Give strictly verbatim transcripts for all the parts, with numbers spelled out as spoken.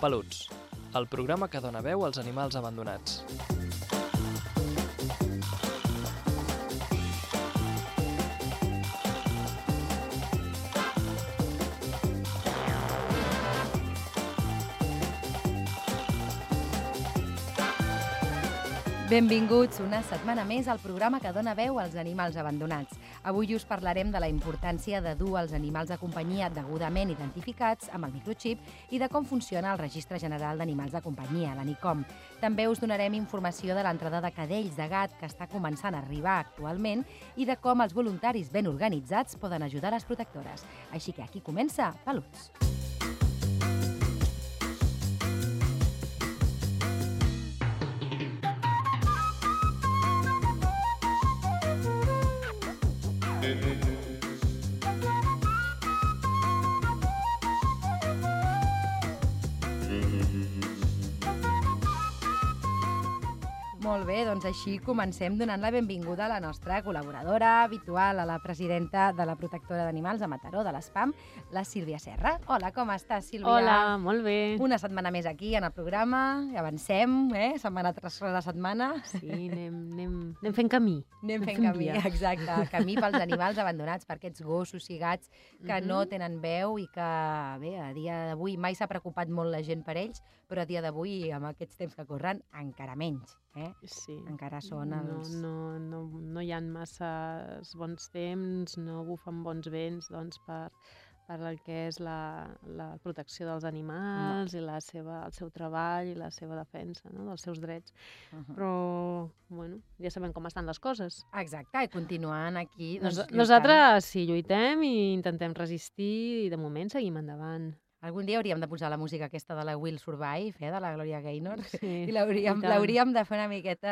Peluts, el programa que dona veu als animals abandonats. Benvinguts una setmana més al programa que dona veu als animals abandonats. Avui us parlarem de la importància de dur els animals de companyia degudament identificats amb el microxip i de com funciona el Registre General d'Animals de Companyia, l'ANICOM. També us donarem informació de l'entrada de cadells de gat que està començant a arribar actualment i de com els voluntaris ben organitzats poden ajudar les protectores. Així que aquí comença Peluts. Molt bé, doncs així comencem donant la benvinguda a la nostra col·laboradora habitual, a la presidenta de la Protectora d'Animals de Mataró, de l'ESPAM, la Sílvia Serra. Hola, com estàs, Sílvia? Hola, molt bé. Una setmana més aquí en el programa, avancem, eh? setmana tras setmana. Sí, anem, anem, anem fent camí. Anem fent camí, exacte, camí pels animals abandonats, per aquests gossos i gats que uh-huh. no tenen veu i que, bé, a dia d'avui mai s'ha preocupat molt la gent per ells, però a dia d'avui, amb aquests temps que corren, encara menys. Eh? Sí. Encara són els... No, no, no, no hi ha massa bons temps, no bufen bons vents doncs, per, per el que és la, la protecció dels animals no. i la seva, el seu treball i la seva defensa, no? dels seus drets. Uh-huh. Però, bueno, ja sabem com estan les coses. Exacte, i continuant aquí... Doncs, Nos, nosaltres sí, lluitem i intentem resistir i de moment seguim endavant. Algun dia hauríem de posar la música aquesta de la Will Survive, eh, de la Gloria Gaynor, sí, i l'hauríem de fer una miqueta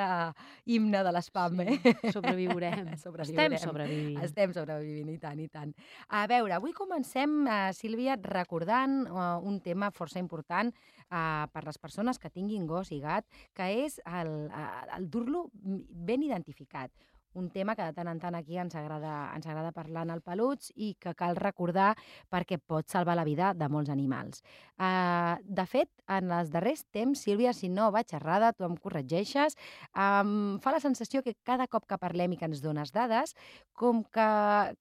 himne de l'espam, sí, eh? Sobreviurem. Estem sobrevivint. Estem sobrevivint, i tant, i tant. A veure, avui comencem, uh, Sílvia, recordant uh, un tema força important uh, per les persones que tinguin gos i gat, que és el, uh, el dur-lo ben identificat. Un tema que de tant en tant aquí ens agrada, ens agrada parlar en el Peluts i que cal recordar perquè pot salvar la vida de molts animals. Uh, de fet, en els darrers temps, Sílvia, si no vaig errada, tu em corregeixes, um, fa la sensació que cada cop que parlem i que ens dones dades, com que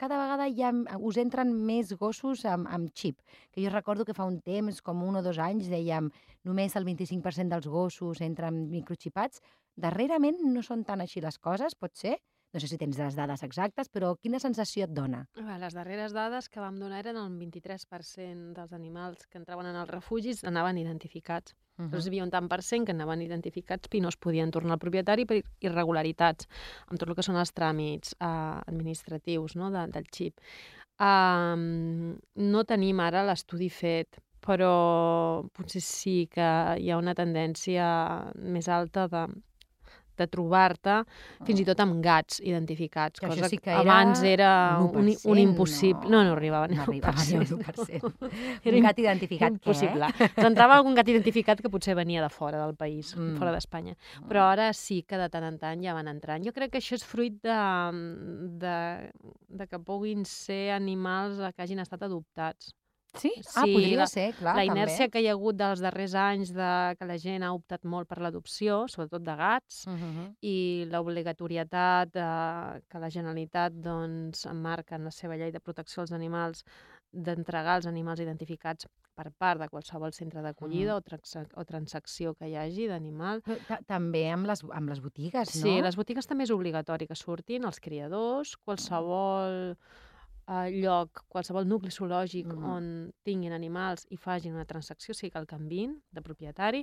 cada vegada ja us entren més gossos amb, amb xip. Que jo recordo que fa un temps, com un o dos anys, dèiem només el vint-i-cinc per cent dels gossos entren microxipats. Darrerament no són tan així les coses, pot ser? No sé si tens les dades exactes, però quina sensació et dona? Les darreres dades que vam donar eren el vint-i-tres per cent dels animals que entraven en els refugis anaven identificats. Uh-huh. Però hi havia un tant per cent que anaven identificats i no es podien tornar al propietari per irregularitats, amb tot el que són els tràmits eh, administratius, no, de, del xip. Um, no tenim ara l'estudi fet, però potser sí que hi ha una tendència més alta de... de trobar-te, fins i tot amb gats identificats, que cosa sí que que abans era un, un impossible. No, no, no arribava ni no arribava ni a l'u per cent. Era un gat identificat, impossible. què? Doncs entrava algun gat identificat que potser venia de fora del país, mm. fora d'Espanya. Però ara sí que de tant en tant ja van entrant. Jo crec que això és fruit de, de, de que puguin ser animals que hagin estat adoptats. Sí? Ah, sí, podria la, ser, clar, la inèrcia també. que hi ha hagut dels darrers anys de que la gent ha optat molt per l'adopció, sobretot de gats, uh-huh. i l'obligatorietat de, que la Generalitat doncs, emmarca en la seva llei de protecció als animals d'entregar els animals identificats per part de qualsevol centre d'acollida uh-huh. o, trans o transacció que hi hagi d'animal. També amb les, amb les botigues, no? Sí, les botigues també és obligatori que surtin els criadors, qualsevol... Uh, lloc, qualsevol nucli zoològic mm. on tinguin animals i facin una transacció, sigui que el canviïn de propietari,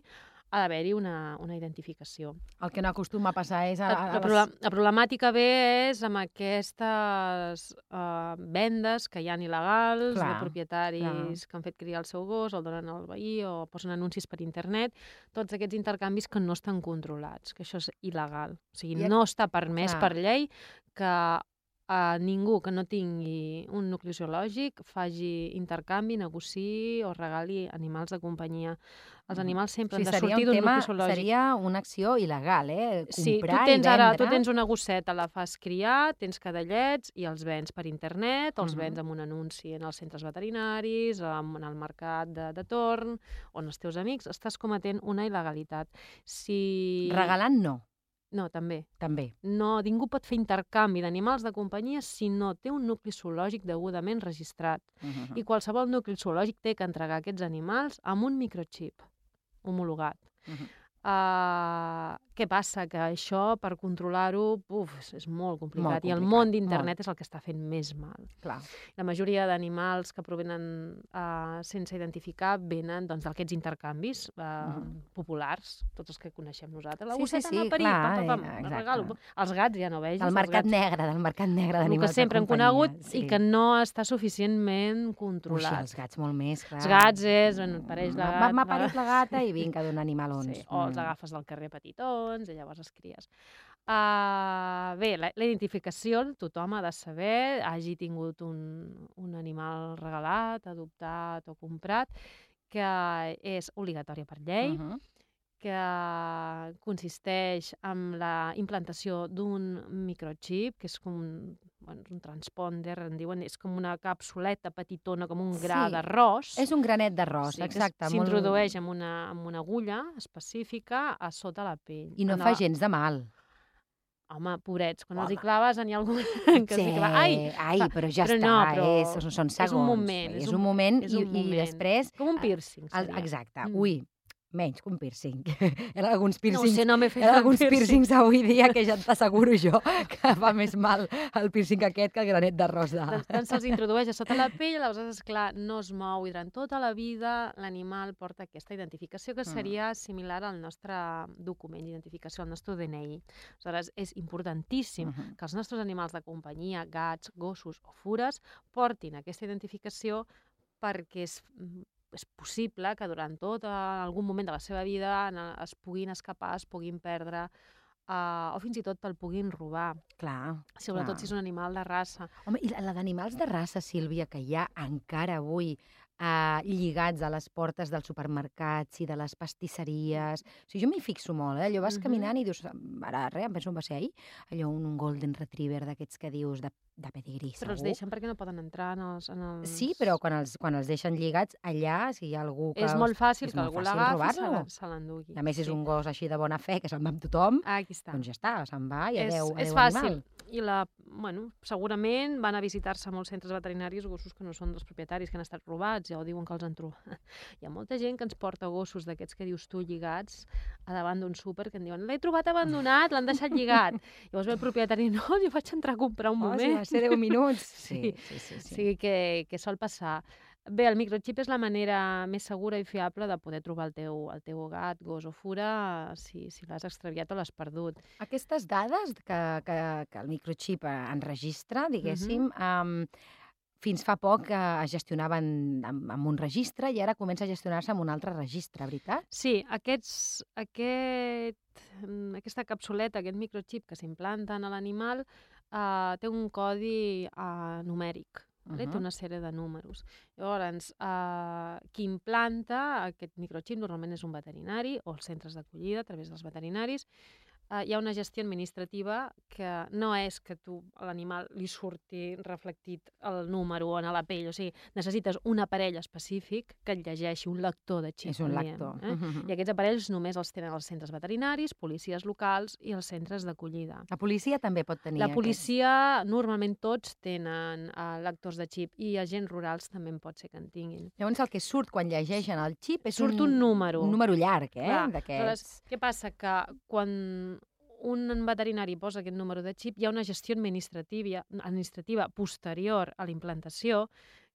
ha d'haver-hi una, una identificació. El que no acostuma a passar és... A, a, a la, les... la problemàtica ve és amb aquestes uh, vendes que hi ha il·legals, clar, de propietaris clar. que han fet criar el seu gos, el donen al veí o posen anuncis per internet, tots aquests intercanvis que no estan controlats, que això és il·legal. O sigui, I no està permès clar. per llei que a ningú que no tingui un nucli zoològic faci intercanvi, negociï o regali animals de companyia. Els animals sempre Sí, han de seria sortir un d'un tema, nucli zoològic. seria una acció il·legal, eh? Sí, tu Comprar tens i ara, vendre. tu tens una gosseta, la fas criar, tens cadellets i els vens per internet, els Mhm. vens amb un anunci en els centres veterinaris, en el mercat de, de torn, on els teus amics, estàs cometent una il·legalitat. Si... Regalant no, No, també. també. No, ningú pot fer intercanvi d'animals de companyia si no té un nucli zoològic degudament registrat. Mhm. I qualsevol nucli zoològic té que entregar aquests animals amb un microxip homologat. Mhm. Uh, què passa? Que això, per controlar-ho, uf, és, és molt complicat. Molt I el complicat, món d'internet és el que està fent més mal. Clar. La majoria d'animals que provenen uh, sense identificar venen doncs, d'aquests intercanvis uh, Mhm. populars, tots els que coneixem nosaltres. La Sí, sí, gosseta sí, amb el perill, clar, pam, pam, eh, pam, exacte. regalo. Els gats ja no vegis. Del els mercat gats, negre, del mercat negre el d'animals que sempre de hem companyia. conegut Sí. i que no està suficientment Uixi, controlat. els gats molt més, clar. Els gats és, bueno, pareix de gat. M'ha parit la gata i vinga, d'un animalons. Sí, o els agafes del carrer petitons i llavors els cries. Uh, bé, la, la identificació tothom ha de saber, hagi tingut un, un animal regalat, adoptat o comprat, que és obligatòria per llei, Uh -huh. que consisteix en la implantació d'un microxip, que és com un, bueno, un transponder, en diuen, és com una capsuleta petitona, com un gra Sí, d'arròs. És un granet d'arròs, Sí, que exacte. s'introdueix molt... amb, una, amb una agulla específica a sota la pell. I no en fa la... gens de mal. Home, pobrets, quan Home. els hi claves n'hi ha algun que sí, els hi clava. Ai! ai, però ja però està, no, però és, són segons. és un moment, És és un un- moment, és i, un i moment. després... Com un piercing, El, seria. exacte. Mm. Ui, menys que un piercing. Hi ha alguns No ho piercings, sé, no m'he hi fet ha el alguns piercing. piercings avui dia que ja t'asseguro jo que fa més mal el piercing aquest que el granet d'arròs de... Doncs, doncs se'ls introdueix a sota la pell, aleshores, esclar, no es mou i durant tota la vida l'animal porta aquesta identificació que seria similar al nostre document d'identificació, al nostre D N I. Aleshores, és importantíssim Mhm. que els nostres animals de companyia, gats, gossos o fures, portin aquesta identificació perquè és, és possible que durant tot eh, algun moment de la seva vida en- es puguin escapar, es puguin perdre, eh, o fins i tot el puguin robar, Clar, sobretot clar. si és un animal de raça. Home, i la, la d'animals de raça, Sílvia, que hi ha encara avui eh, lligats a les portes dels supermercats i de les pastisseries... O sigui, jo m'hi fixo molt, eh? Allò vas Mhm. caminant i dius, ara, res, em penso on va ser ahir, allò un, un golden retriever d'aquests que dius de, de pedigrí, Però els segur. deixen perquè no poden entrar en els... En els... Sí, però quan els, quan els deixen lligats allà, si hi ha algú que... És molt fàcil és que molt algú fàcil l'agafi i robar-lo. se la- se l'endugui. I a més és Sí. un gos així de bona fe, que se'n va amb tothom, Ah, aquí està. doncs ja està, se'n va i és, adeu, adeu és fàcil. animal. I la, bueno, segurament van a visitar-se a molts centres veterinaris gossos que no són dels propietaris, que han estat robats, ja ho diuen que els han trobat. Hi ha molta gent que ens porta gossos d'aquests que dius tu lligats a davant d'un súper que en diuen l'he trobat abandonat, l'han deixat lligat. Llavors ve el propietari, no, jo vaig entrar a comprar un Oh, moment. si va ser deu minuts. Sí, sí, sí. O sigui que, que sol passar. Bé, el microxip és la manera més segura i fiable de poder trobar el teu, el teu gat, gos o fura si, si l'has extraviat o l'has perdut. Aquestes dades que, que, que el microxip eh, enregistra, diguéssim, um, fins fa poc eh, es gestionaven amb, amb un registre i ara comença a gestionar-se amb un altre registre, veritat? Sí, aquests, aquest, mm, aquesta capsuleta, aquest microxip que s'implanta en l'animal, eh, té un codi eh, numèric. Vale? Mhm. Té una sèrie de números. Llavors, eh, qui implanta aquest microxip normalment és un veterinari o els centres d'acollida a través dels veterinaris. Eh, hi ha una gestió administrativa que no és que tu a l'animal li surti reflectit el número en la pell, o sigui, necessites un aparell específic que et llegeixi, un lector de xip. És un en diem, lector. Eh? Mhm. I aquests aparells només els tenen els centres veterinaris, policies locals i els centres d'acollida. La policia també pot tenir La aquests. policia, normalment tots tenen uh, lectors de xip i agents rurals també en pot ser que en tinguin. Llavors el que surt quan llegeixen el xip és Surt un número. Un número llarg, eh? Clar, D'aquests. aleshores, què passa? Que quan un veterinari posa aquest número de xip, hi ha una gestió administrativa, administrativa posterior a la implantació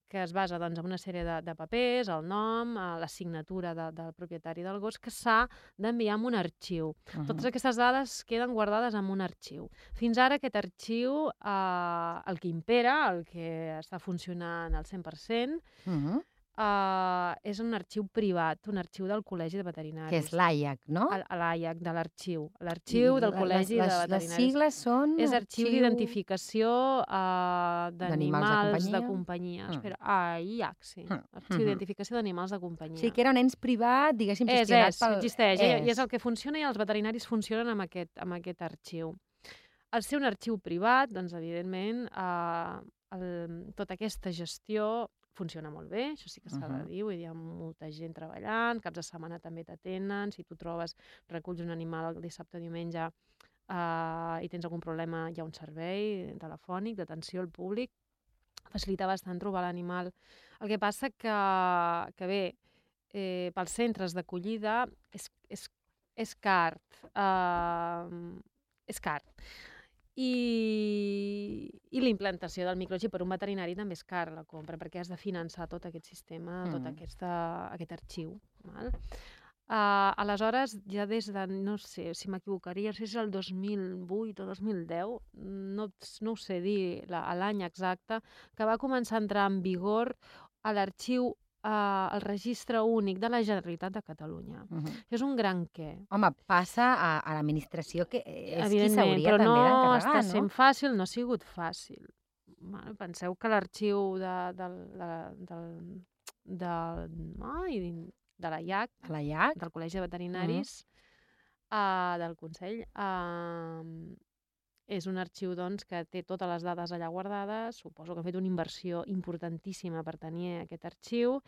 que es basa doncs, en una sèrie de, de papers, el nom, eh, la signatura de, del propietari del gos, que s'ha d'enviar en un arxiu. Mhm. Totes aquestes dades queden guardades en un arxiu. Fins ara aquest arxiu, eh, el que impera, el que està funcionant al cent per cent, Mhm. Uh, és un arxiu privat, un arxiu del Col·legi de Veterinaris. Que és l'A I A C, no? A l'A I A C, de l'arxiu. L'arxiu del Col·legi les, de Veterinaris. Les sigles són... És arxiu d'identificació uh, d'animals de companyia. Mm. Espera, A I A C, sí. Mm. Arxiu d'identificació d'animals de companyia. Sí, que era un ens privat, diguéssim, és, gestionat és, pel... existeix, és. I és el que funciona i els veterinaris funcionen amb aquest, amb aquest arxiu. Al ser un arxiu privat, doncs, evidentment, uh, el, tota aquesta gestió funciona molt bé, això sí que s'ha de dir, vull dir, hi ha molta gent treballant, caps de setmana també t'atenen, si tu trobes, reculls un animal el dissabte o diumenge uh, i tens algun problema, hi ha un servei telefònic d'atenció al públic, facilita bastant trobar l'animal. El que passa que, que bé, eh, pels centres d'acollida és, és, és car, uh, és car. I, i la implantació del microxip per un veterinari també és car la compra, perquè has de finançar tot aquest sistema, mm. tot aquesta, aquest arxiu. Val? Uh, aleshores, ja des de, no sé si m'equivocaria, no sé si és el dos mil vuit o dos mil deu, no, no ho sé dir l'any exacte, que va començar a entrar en vigor a l'arxiu Uh, el registre únic de la Generalitat de Catalunya. Uh -huh. Això és un gran què. Home, passa a, a l'administració que és qui Evidentment, s'hauria també no d'encarregar, no? està sent fàcil, no ha sigut fàcil. Bueno, penseu que l'arxiu de, de, de, de, de, ai, de la I A C, de la I A C, del Col·legi de Veterinaris, uh -huh. uh, del Consell, uh, és un arxiu doncs, que té totes les dades allà guardades. Suposo que han fet una inversió importantíssima per tenir aquest arxiu.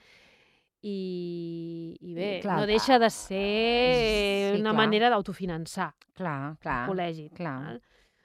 I, i bé, clar, no deixa de ser sí, una clar. manera d'autofinançar clar, clar, el col·legi. Clar. Val?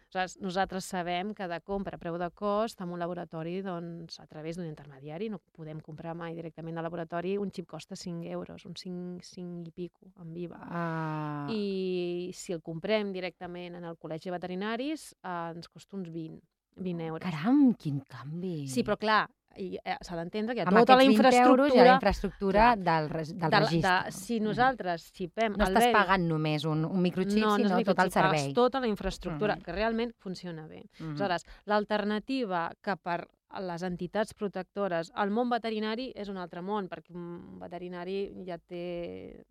Aleshores, nosaltres sabem que de compra a preu de cost, en un laboratori, doncs, a través d'un intermediari, no podem comprar mai directament al laboratori, un xip costa cinc euros, un cinc, cinc i pico, en V I V A. Uh... I si el comprem directament en el Col·legi de Veterinaris, eh, ens costa uns vint, vint euros. Caram, quin canvi! Sí, però clar, i eh, s'ha d'entendre que hi ha amb tota la infraestructura... Euros hi ha la infraestructura del, del de, registre. De, si nosaltres xipem... No estàs pagant només un, un microxip, no, sinó no tot el servei. Pagues tota la infraestructura, uh -huh. que realment funciona bé. Uh -huh. Aleshores, l'alternativa que per les entitats protectores, el món veterinari és un altre món, perquè un veterinari ja té...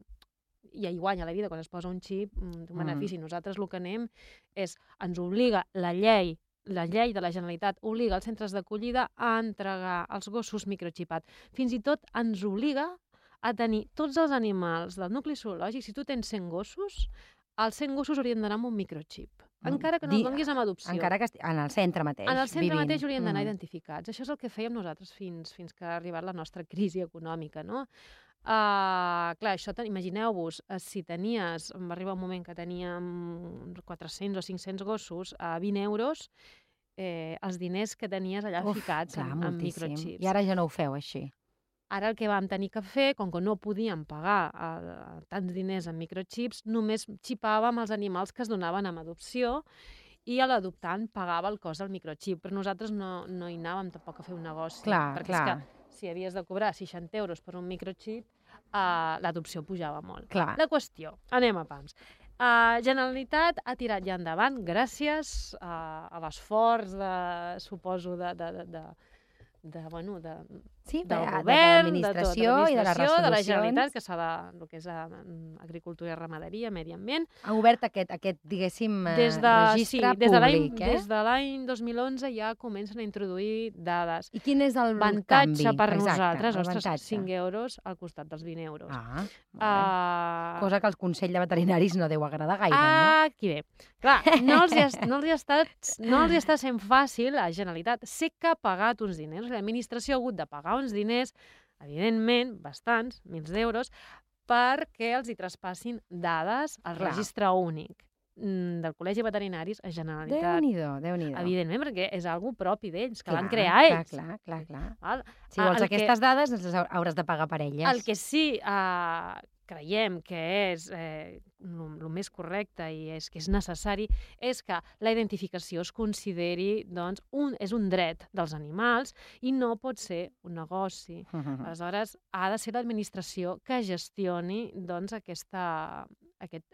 ja hi guanya la vida quan es posa un xip, un benefici. Uh -huh. Nosaltres el que anem és, ens obliga la llei la llei de la Generalitat obliga els centres d'acollida a entregar els gossos microxipats. Fins i tot ens obliga a tenir tots els animals del nucli zoològic. Si tu tens cent gossos, els cent gossos haurien d'anar amb un microxip. Encara que no els donis amb adopció. Encara que en el centre mateix. En el centre vivint. mateix haurien d'anar mm. identificats. Això és el que fèiem nosaltres fins, fins que ha arribat la nostra crisi econòmica, no? Uh, clar, això, imagineu-vos, uh, si tenies, va arribar un moment que teníem quatre-cents o cinc-cents gossos a vint euros, eh, els diners que tenies allà Uf, ficats clar, en, en microxips. I ara ja no ho feu així. Ara el que vam tenir que fer, com que no podíem pagar uh, tants diners en microxips, només xipàvem els animals que es donaven amb adopció i l'adoptant pagava el cost del microxip. Però nosaltres no, no hi anàvem tampoc a fer un negoci. Clar, perquè clar. És que si havies de cobrar seixanta euros per un microxip, uh, l'adopció pujava molt. Clar. La qüestió, anem a pams. Uh, Generalitat ha tirat ja endavant gràcies uh, a l'esforç, de, suposo, de, de, de, de, de, bueno, de, sí, del de, govern, de l'administració de i de les resolucions. de la Generalitat, que s'ha de, el que és uh, agricultura i ramaderia, medi ambient. Ha obert aquest, aquest diguéssim, des de, registre sí, des públic, de eh? Des de l'any dos mil onze ja comencen a introduir dades. I quin és el Vantatge canvi? per Exacte, nosaltres, ostres, avantatge. cinc euros al costat dels vint euros. Ah, uh, cosa que al Consell de Veterinaris no deu agradar gaire, ah, no? Aquí bé. Clar, no els, hi ha, no, els hi ha estat, no els hi està sent fàcil a la Generalitat. Sé que ha pagat uns diners, l'administració ha hagut de pagar uns diners, evidentment, bastants, mils d'euros, perquè els hi traspassin dades al Clar. registre únic del Col·legi de Veterinaris a Generalitat. Déu-n'hi-do, Déu-n'hi-do. Evidentment, perquè és algo propi d'ells, que clar, l'han creat ells. Clar, clar, clar. Val? Si vols el aquestes que, dades, les hauràs de pagar per elles. El que sí uh, creiem que és eh, el més correcte i és que és necessari és que la identificació es consideri, doncs, un, és un dret dels animals i no pot ser un negoci. Uh -huh. Aleshores, ha de ser l'administració que gestioni, doncs, aquesta, aquest,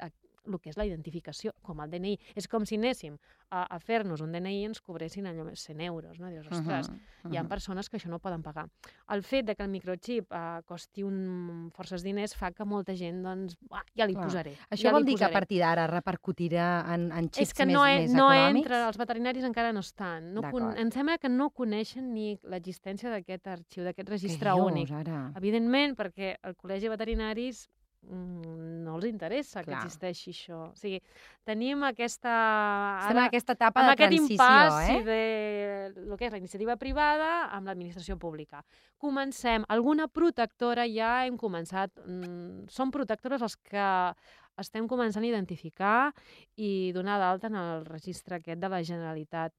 el que és la identificació, com el D N I. És com si anéssim a, a fer-nos un D N I i ens cobressin allò cent euros, no? Dius, ostres, uh -huh, uh -huh. hi ha persones que això no poden pagar. El fet de que el microxip eh, costi un, forces diners fa que molta gent, doncs, bah, ja li Clar. posaré. Això ja vol li dir posaré. que a partir d'ara repercutirà en, en xips és que més, no, més no econòmics? entra, els veterinaris encara no estan. No con, em sembla que no coneixen ni l'existència d'aquest arxiu, d'aquest registre Què dius, únic. Ara? Evidentment, perquè el Col·legi de Veterinaris mm, no els interessa Clar. que existeixi això. O sigui, tenim aquesta... Estem en aquesta etapa amb de aquest transició, impàs eh? de el que és la iniciativa privada amb l'administració pública. Comencem. Alguna protectora ja hem començat. Mm, són protectores els que estem començant a identificar i donar d'alta en el registre aquest de la Generalitat.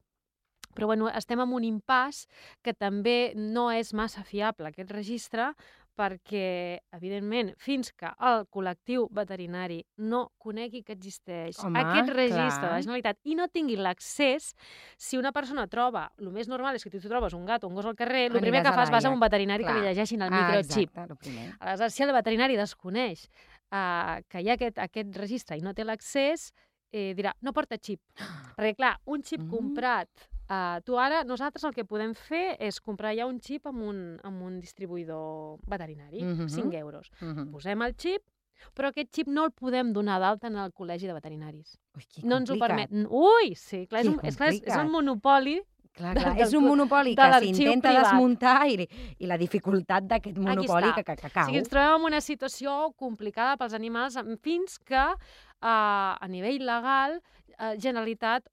Però bueno, estem en un impàs que també no és massa fiable, aquest registre, perquè, evidentment, fins que el col·lectiu veterinari no conegui que existeix Home, aquest registre clar. de la Generalitat i no tingui l'accés, si una persona troba, el més normal és que tu trobes un gat o un gos al carrer, el primer Aniràs que a fas vas a l'A I A C. un veterinari Clar. que li llegeixin el Ah, microxip. exacte, el primer. Aleshores, si el veterinari desconeix uh, que hi ha aquest, aquest registre i no té l'accés, eh, dirà, no porta xip. Perquè, clar, un xip Mm. comprat, uh, tu ara, nosaltres el que podem fer és comprar ja un xip amb un, amb un distribuïdor veterinari, Mhm. cinc euros. Mhm. Posem el xip, però aquest xip no el podem donar d'alta en el Col·legi de Veterinaris. Ui, que No ens ho complicat. permet. Ui, sí, clar, és, Que un, és, clar, és, és complicat. un monopoli. Clar, clar, del- és un del- monopoli de que l'arxiu s'intenta privat. desmuntar i, i la dificultat d'aquest monopoli està. que, que, que O cau. sigui, ens trobem en una situació complicada pels animals em- fins que uh, a nivell legal uh, Generalitat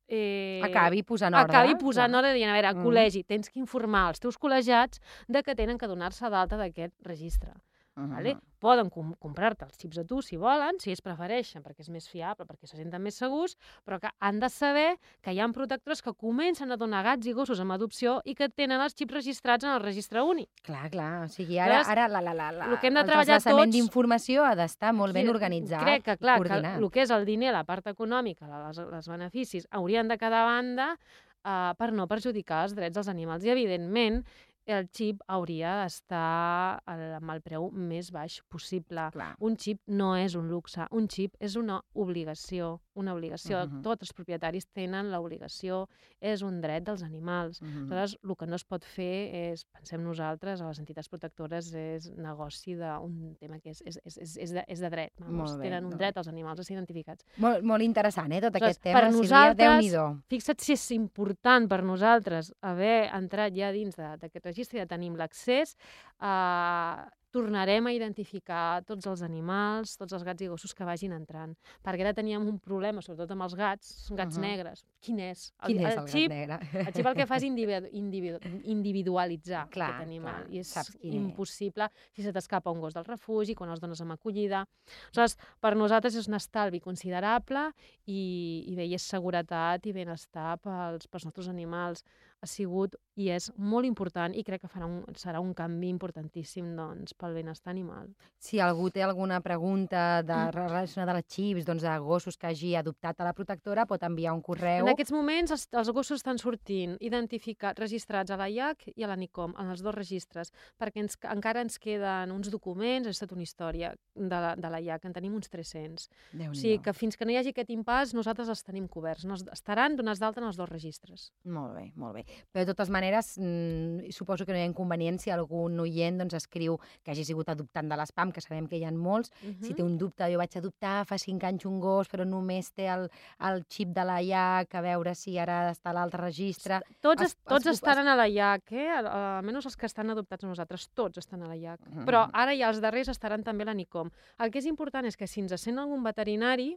eh, Acabi posant ordre. acabi posant clar. ordre dient, a veure, Mm. col·legi, tens que informar els teus col·legiats de que tenen que donar-se d'alta d'aquest registre. Mhm. Vale? Poden com comprar-te els xips a tu si volen, si ells prefereixen, perquè és més fiable, perquè se senten més segurs, però que han de saber que hi ha protectors que comencen a donar gats i gossos amb adopció i que tenen els xips registrats en el registre únic. Clar, clar. O sigui, ara, Llavors, ara la, la, la, la, el que hem de el treballar transvasament tots- d'informació ha d'estar molt ben Qui- organitzat Crec que, i clar, que coordinat. el que és el diner, la part econòmica, les, les beneficis, haurien de quedar a banda uh, per no perjudicar els drets dels animals. I, evidentment, el xip hauria d'estar al- amb el preu més baix possible. Clar. Un xip no és un luxe, un xip és una obligació, una obligació. Mhm. Tots els propietaris tenen l'obligació, és un dret dels animals. Mhm. Aleshores, el que no es pot fer és, pensem nosaltres, a les entitats protectores, és negoci d'un tema que és, és, és, és, és, de, és de dret. Vamos. Molt bé, Tenen un molt dret els animals a ser identificats. Molt, molt interessant, eh, tot Aleshores, aquest tema, per Sílvia, nosaltres- Déu-n'hi-do. Fixa't si és important per nosaltres haver entrat ja dins de- d'aquest registre i ja tenim l'accés. Eh, tornarem a identificar tots els animals, tots els gats i gossos que vagin entrant. Perquè ara teníem un problema, sobretot amb els gats, gats Mhm. negres. Quin és? Quin és el xip, gat negre? el xip el que fa és individu individu individualitzar Clar, aquest animal. clar, I és saps quin és. impossible si se t'escapa un gos del refugi, quan els dones amb acollida. Aleshores, per nosaltres és un estalvi considerable i, i bé, i és seguretat i benestar pels, pels nostres animals. Ha sigut i és molt important i crec que farà un, serà un canvi importantíssim doncs, pel benestar animal. Si algú té alguna pregunta de, relacionada als xips, doncs, de gossos que hagi adoptat a la protectora, pot enviar un correu. En aquests moments els, els gossos estan sortint identificats, registrats a la I A C i a la NICOM, en els dos registres, perquè ens, encara ens queden uns documents, ha estat una història de la, de la I A C, en tenim uns tres-cents. O sigui que fins que no hi hagi aquest impàs, nosaltres els tenim coberts. No, estaran donats d'alta en els dos registres. Molt bé, molt bé. Però de totes maneres, mmm, suposo que no hi ha inconvenient si algun oient doncs, escriu que hagi sigut adoptant de l'espam, que sabem que hi ha molts. Uh -huh. Si té un dubte, jo vaig adoptar fa cinc anys un gos, però només té el, el xip de la I A C, a veure si ara està a l'altre registre. Tots, Es- es, tots es- estaran a la I A C, eh? almenys els que estan adoptats a nosaltres, tots estan a la I A C. Mhm. Però ara ja els darrers estaran també a la NICOM. El que és important és que si ens sent algun veterinari,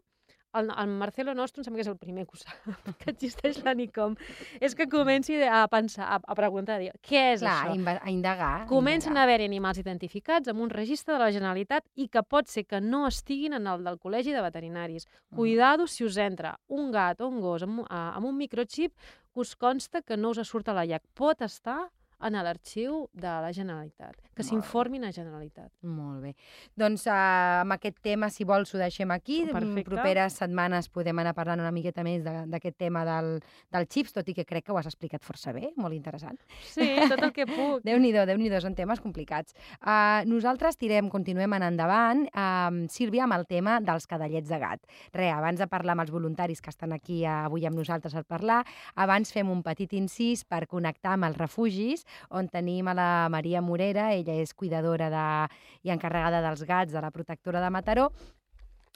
el, el Marcelo nostre em sembla que és el primer que ho sap, que existeix la NICOM, és que comenci a pensar, a, a preguntar, a dir, què és Clar, a això? inve- a indagar. Comencen a a haver-hi animals identificats amb un registre de la Generalitat i que pot ser que no estiguin en el del Col·legi de Veterinaris. Cuidado si us entra un gat o un gos amb, uh, amb un microxip que us consta que no us surt a la I A C. Pot estar en l'arxiu de la Generalitat, que s'informin a Generalitat. Molt bé. Doncs uh, amb aquest tema, si vols, ho deixem aquí. Perfecte. Properes setmanes podem anar parlant una miqueta més d'aquest tema del, del xips, tot i que crec que ho has explicat força bé, molt interessant. Sí, tot el que puc. Déu-n'hi-do, Déu-n'hi-do, són temes complicats. Uh, nosaltres tirem, continuem en endavant, uh, Sílvia, amb el tema dels cadallets de gat. Re, abans de parlar amb els voluntaris que estan aquí uh, avui amb nosaltres al parlar, abans fem un petit incís per connectar amb els refugis, on tenim a la Maria Morera, ella és cuidadora de, i encarregada dels gats de la protectora de Mataró.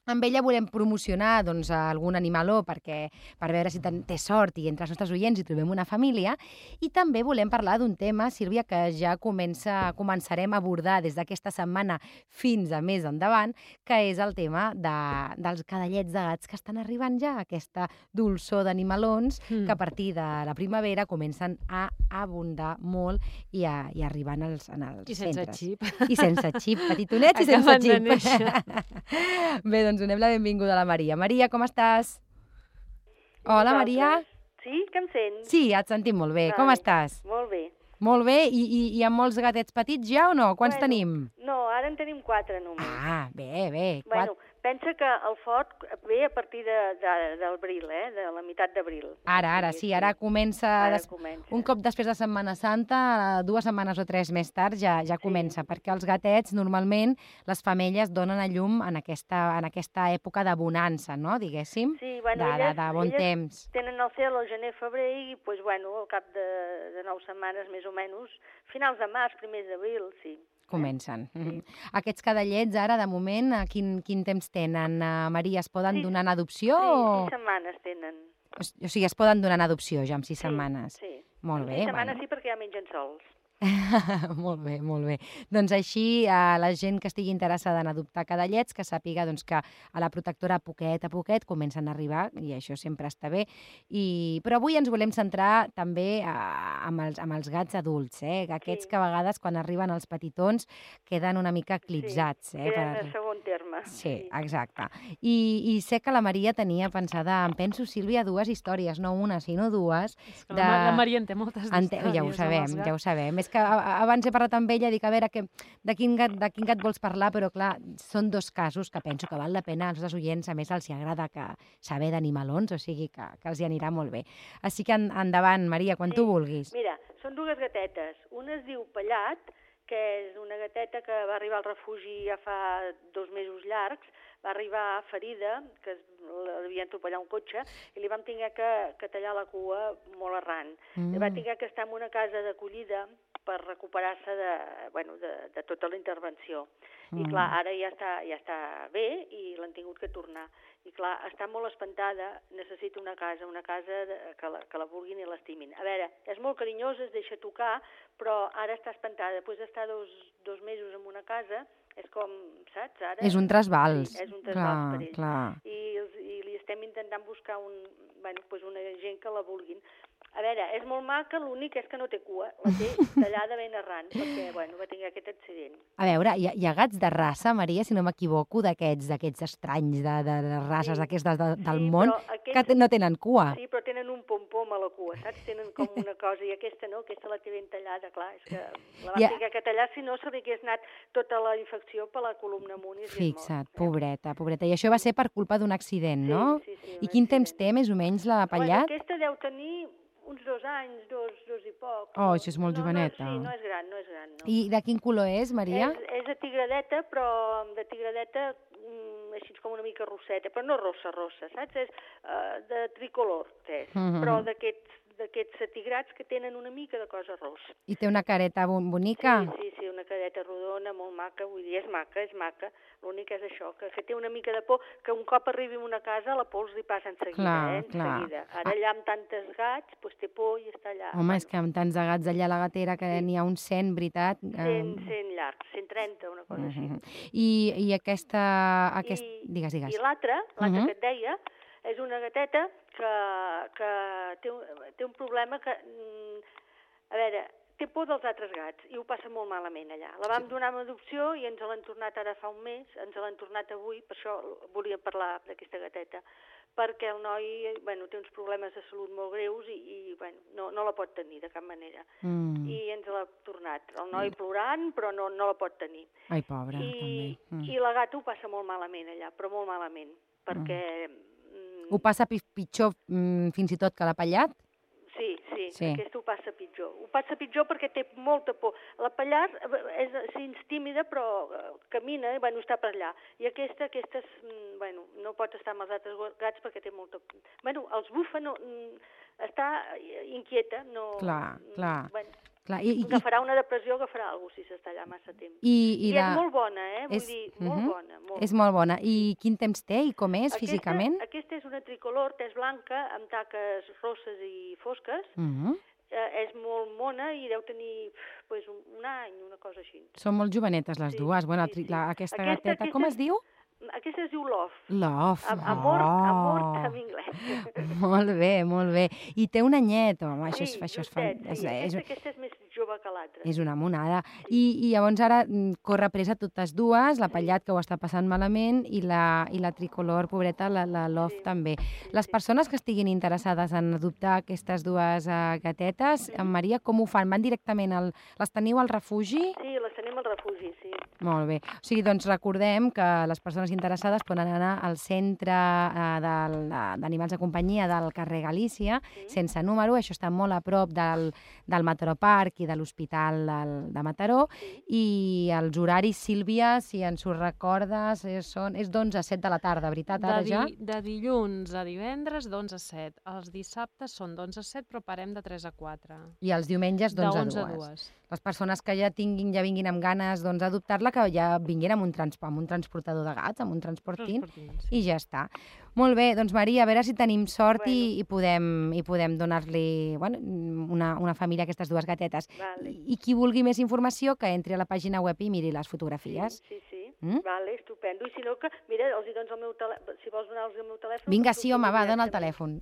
Amb ella volem promocionar doncs, algun animaló perquè, per veure si té sort i entre els nostres oients hi trobem una família. I també volem parlar d'un tema, Sílvia, que ja comença, començarem a abordar des d'aquesta setmana fins a més endavant, que és el tema de, dels cadallets de gats que estan arribant ja, aquesta dolçor d'animalons mm. que a partir de la primavera comencen a abundar molt i a, i a arribar en els, en els I sense centres. xip. I sense xip, petitonets i sense xip. Bé, doncs donem la benvinguda a la Maria. Maria, com estàs? Hola, Maria. Sí, que em sents? Sí, et sentim molt bé. Vale. Com estàs? Molt bé. Molt bé. I, i, i amb molts gatets petits ja o no? Quants bueno, tenim? No, ara en tenim quatre només. Ah, bé, bé. Bueno, pensa que el fort ve a partir de, de, d'abril, eh? De la meitat d'abril. Ara, ara, sí, ara comença... Ara des... comença. Un cop després de Setmana Santa, dues setmanes o tres més tard, ja, ja comença, sí. Perquè els gatets, normalment, les femelles donen a llum en aquesta, en aquesta època de bonança, no?, diguéssim, sí, bueno, de, elles, de, de bon elles temps. Tenen el cel al gener-febrer i, pues, bueno, al cap de, de nou setmanes, més o menys, finals de març, primers d'abril, sí. Comencen. Sí. Mm-hmm. Aquests cadallets, ara, de moment, quin, quin temps tenen? Uh, Maria, es poden sí. donar en adopció? Sí, o... sis setmanes tenen. O, o sigui, es poden donar en adopció ja amb sis sí, setmanes? Sí, Molt en bé. sis setmanes bueno. sí, perquè ja mengen sols. Molt bé, molt bé. Doncs així, a la gent que estigui interessada en adoptar cadallets, que sàpiga doncs, que a la protectora a poquet a poquet comencen a arribar, i això sempre està bé. I... Però avui ens volem centrar també a, amb, els, amb els gats adults, eh? Aquests sí. que a vegades, quan arriben els petitons, queden una mica eclipsats. Sí, eh? queden per... en segon terme. Sí, sí. exacte. I, I sé que la Maria tenia pensada, em penso, Sílvia, dues històries, no una, sinó dues. De... La, la Maria en té moltes Ente... històries. Ja ho sabem, ja ho sabem. És que abans he parlat amb ella, dic, a veure, que, de, quin gat, de quin gat vols parlar, però clar, són dos casos que penso que val la pena als nostres oients, a més els agrada que saber d'animalons, o sigui que, que els hi anirà molt bé. Així que en, endavant, Maria, quan sí. tu vulguis. Mira, són dues gatetes. Una es diu Pellat, que és una gateta que va arribar al refugi ja fa dos mesos llargs, va arribar ferida, que l'havien atropellat un cotxe, i li vam haver que, que tallar la cua molt arran. Mm. Va haver que estar en una casa d'acollida per recuperar-se de, bueno, de, de tota la intervenció. Mm. I clar, ara ja està, ja està bé i l'han tingut que tornar. I clar, està molt espantada, necessita una casa, una casa de, que, la, que la vulguin i l'estimin. A veure, és molt carinyosa, es deixa tocar, però ara està espantada. Després d'estar dos, dos mesos en una casa, és com, saps? Ara, és un trasbals. Sí, és un trasbals clar, per ell. clar. I, I li estem intentant buscar un, bueno, pues una gent que la vulguin. A veure, és molt maca, l'únic és que no té cua, la té tallada ben arran, perquè, bueno, va tenir aquest accident. A veure, hi ha, hi ha gats de raça, Maria, si no m'equivoco, d'aquests d'aquests estranys, de, de, de races sí, d'aquestes de, del sí, món, aquests, que no tenen cua. Sí, però tenen un pom-pom a la cua, saps? Tenen com una cosa, i aquesta no, aquesta la té ben tallada, clar, és que la va Ja. tenir que tallar, si no se li hagués anat tota la infecció per la columna amunt i s'hagués mort. Fixa't, pobreta, pobreta. I això va ser per culpa d'un accident, Sí, no? sí, sí, I un quin accident. temps té, més o menys, la Pellat? Bueno, aquesta deu tenir uns dos anys, dos, dos i poc. Oh, això és molt no, joveneta. No, sí, no és gran, no és gran, no. I de quin color és, Maria? És, és de tigradeta, però de tigradeta mm, així com una mica rosseta, però no rossa, rossa, saps? És uh, de tricolor, és, Mm-hmm. però d'aquests d'aquests atigrats que tenen una mica de cosa rossa. I té una careta bon bonica? Sí, sí, sí, una careta rodona, molt maca, vull dir, és maca, és maca. L'únic és això, que, que té una mica de por, que un cop arribi a una casa la pols li passa en seguida, Clar, eh, en clar. seguida. Ara allà amb tantes gats, doncs té por i està allà. Home, és que amb tants de gats allà a la gatera, que Sí. n'hi ha uns cent, veritat? cent, cent llargs, cent trenta, una cosa així. Mm-hmm. I, I aquesta... Aquest... I, Digues, digues. I l'altra, l'altra Mhm. que et deia, és una gateta que, que té, un, té un problema que, mm, a veure, té por dels altres gats i ho passa molt malament allà. La vam donar en adopció i ens l'han tornat ara fa un mes, ens l'han tornat avui, per això volia parlar d'aquesta gateta, perquè el noi bueno, té uns problemes de salut molt greus i, i bueno, no, no la pot tenir de cap manera. Mm. I ens l'ha tornat. El noi mm. plorant, però no, no la pot tenir. Ai, pobra, I, també. Mm. I la gata ho passa molt malament allà, però molt malament, perquè... Mm. Ho passa pitjor mm, fins i tot que l'apellat? Sí, sí, sí, aquesta ho passa pitjor. Ho passa pitjor perquè té molta por. La Pallar és sí, tímida, però camina, bueno, està per allà. I aquesta, aquesta és, bueno, no pot estar amb els altres gats perquè té molta por. Bueno, els bufa, no, està inquieta, no... Clar, clar. Bueno, clar. I, i, agafarà una depressió, agafarà alguna cosa si s'està allà massa temps. I, i, I la... és molt bona, eh? Vull és... dir, molt uh-huh. bona. Molt. És molt bona. I quin temps té i com és aquesta, físicament? Aquesta és una tricolor, tès blanca, amb taques rosses i fosques. Uh-huh. eh, és molt mona i deu tenir pues, un, un any, una cosa així. Són molt jovenetes les sí, dues. Bueno, sí, sí. La, aquesta, aquesta gateta, aquesta, com es diu? Aquesta es diu Love. Love. Amor, oh. amor en anglès. Molt bé, molt bé. I té un anyet, home, sí, això és, això és, justet, és, sí. és, Aquesta, aquesta és més jove que l'altra. És una monada. I, I llavors ara corre presa totes dues, la Pallat, que ho està passant malament, i la, i la tricolor, pobreta, la, la Love, sí, també. Sí, les sí. persones que estiguin interessades en adoptar aquestes dues uh, gatetes, en Maria, com ho fan? Van directament al... Les teniu al refugi? Sí, les tenim al refugi, sí. Molt bé. O sigui, doncs recordem que les persones interessades poden anar al centre eh, d'animals de companyia del carrer Galícia, sí. sense número, això està molt a prop del, del Mataró Park i de l'Hospital de Mataró, sí. i els horaris, Sílvia, si ens ho recordes, és, són, és d'onze a set de la tarda, veritat, ara de di, ja? De dilluns a divendres, d'onze a set. Els dissabtes són d'onze a set, però parem de tres a quatre. I els diumenges d'onze a dues. Les persones que ja tinguin, ja vinguin amb ganes doncs, d'adoptar-la, que ja vinguin amb un, trans, amb un transportador de gats, amb un transportin, sí. i ja està. Molt bé, doncs Maria, a veure si tenim sort bueno. i, i podem, i podem donar-li bueno, una, una família a aquestes dues gatetes. Vale. I, I qui vulgui més informació, que entri a la pàgina web i miri les fotografies. Sí, sí, sí. Mm? Vale, estupendo. I si no, que, mira, els hi dones el meu telèfon, si vols donar-los el meu telèfon... Vinga, sí, home, va, dona el telèfon.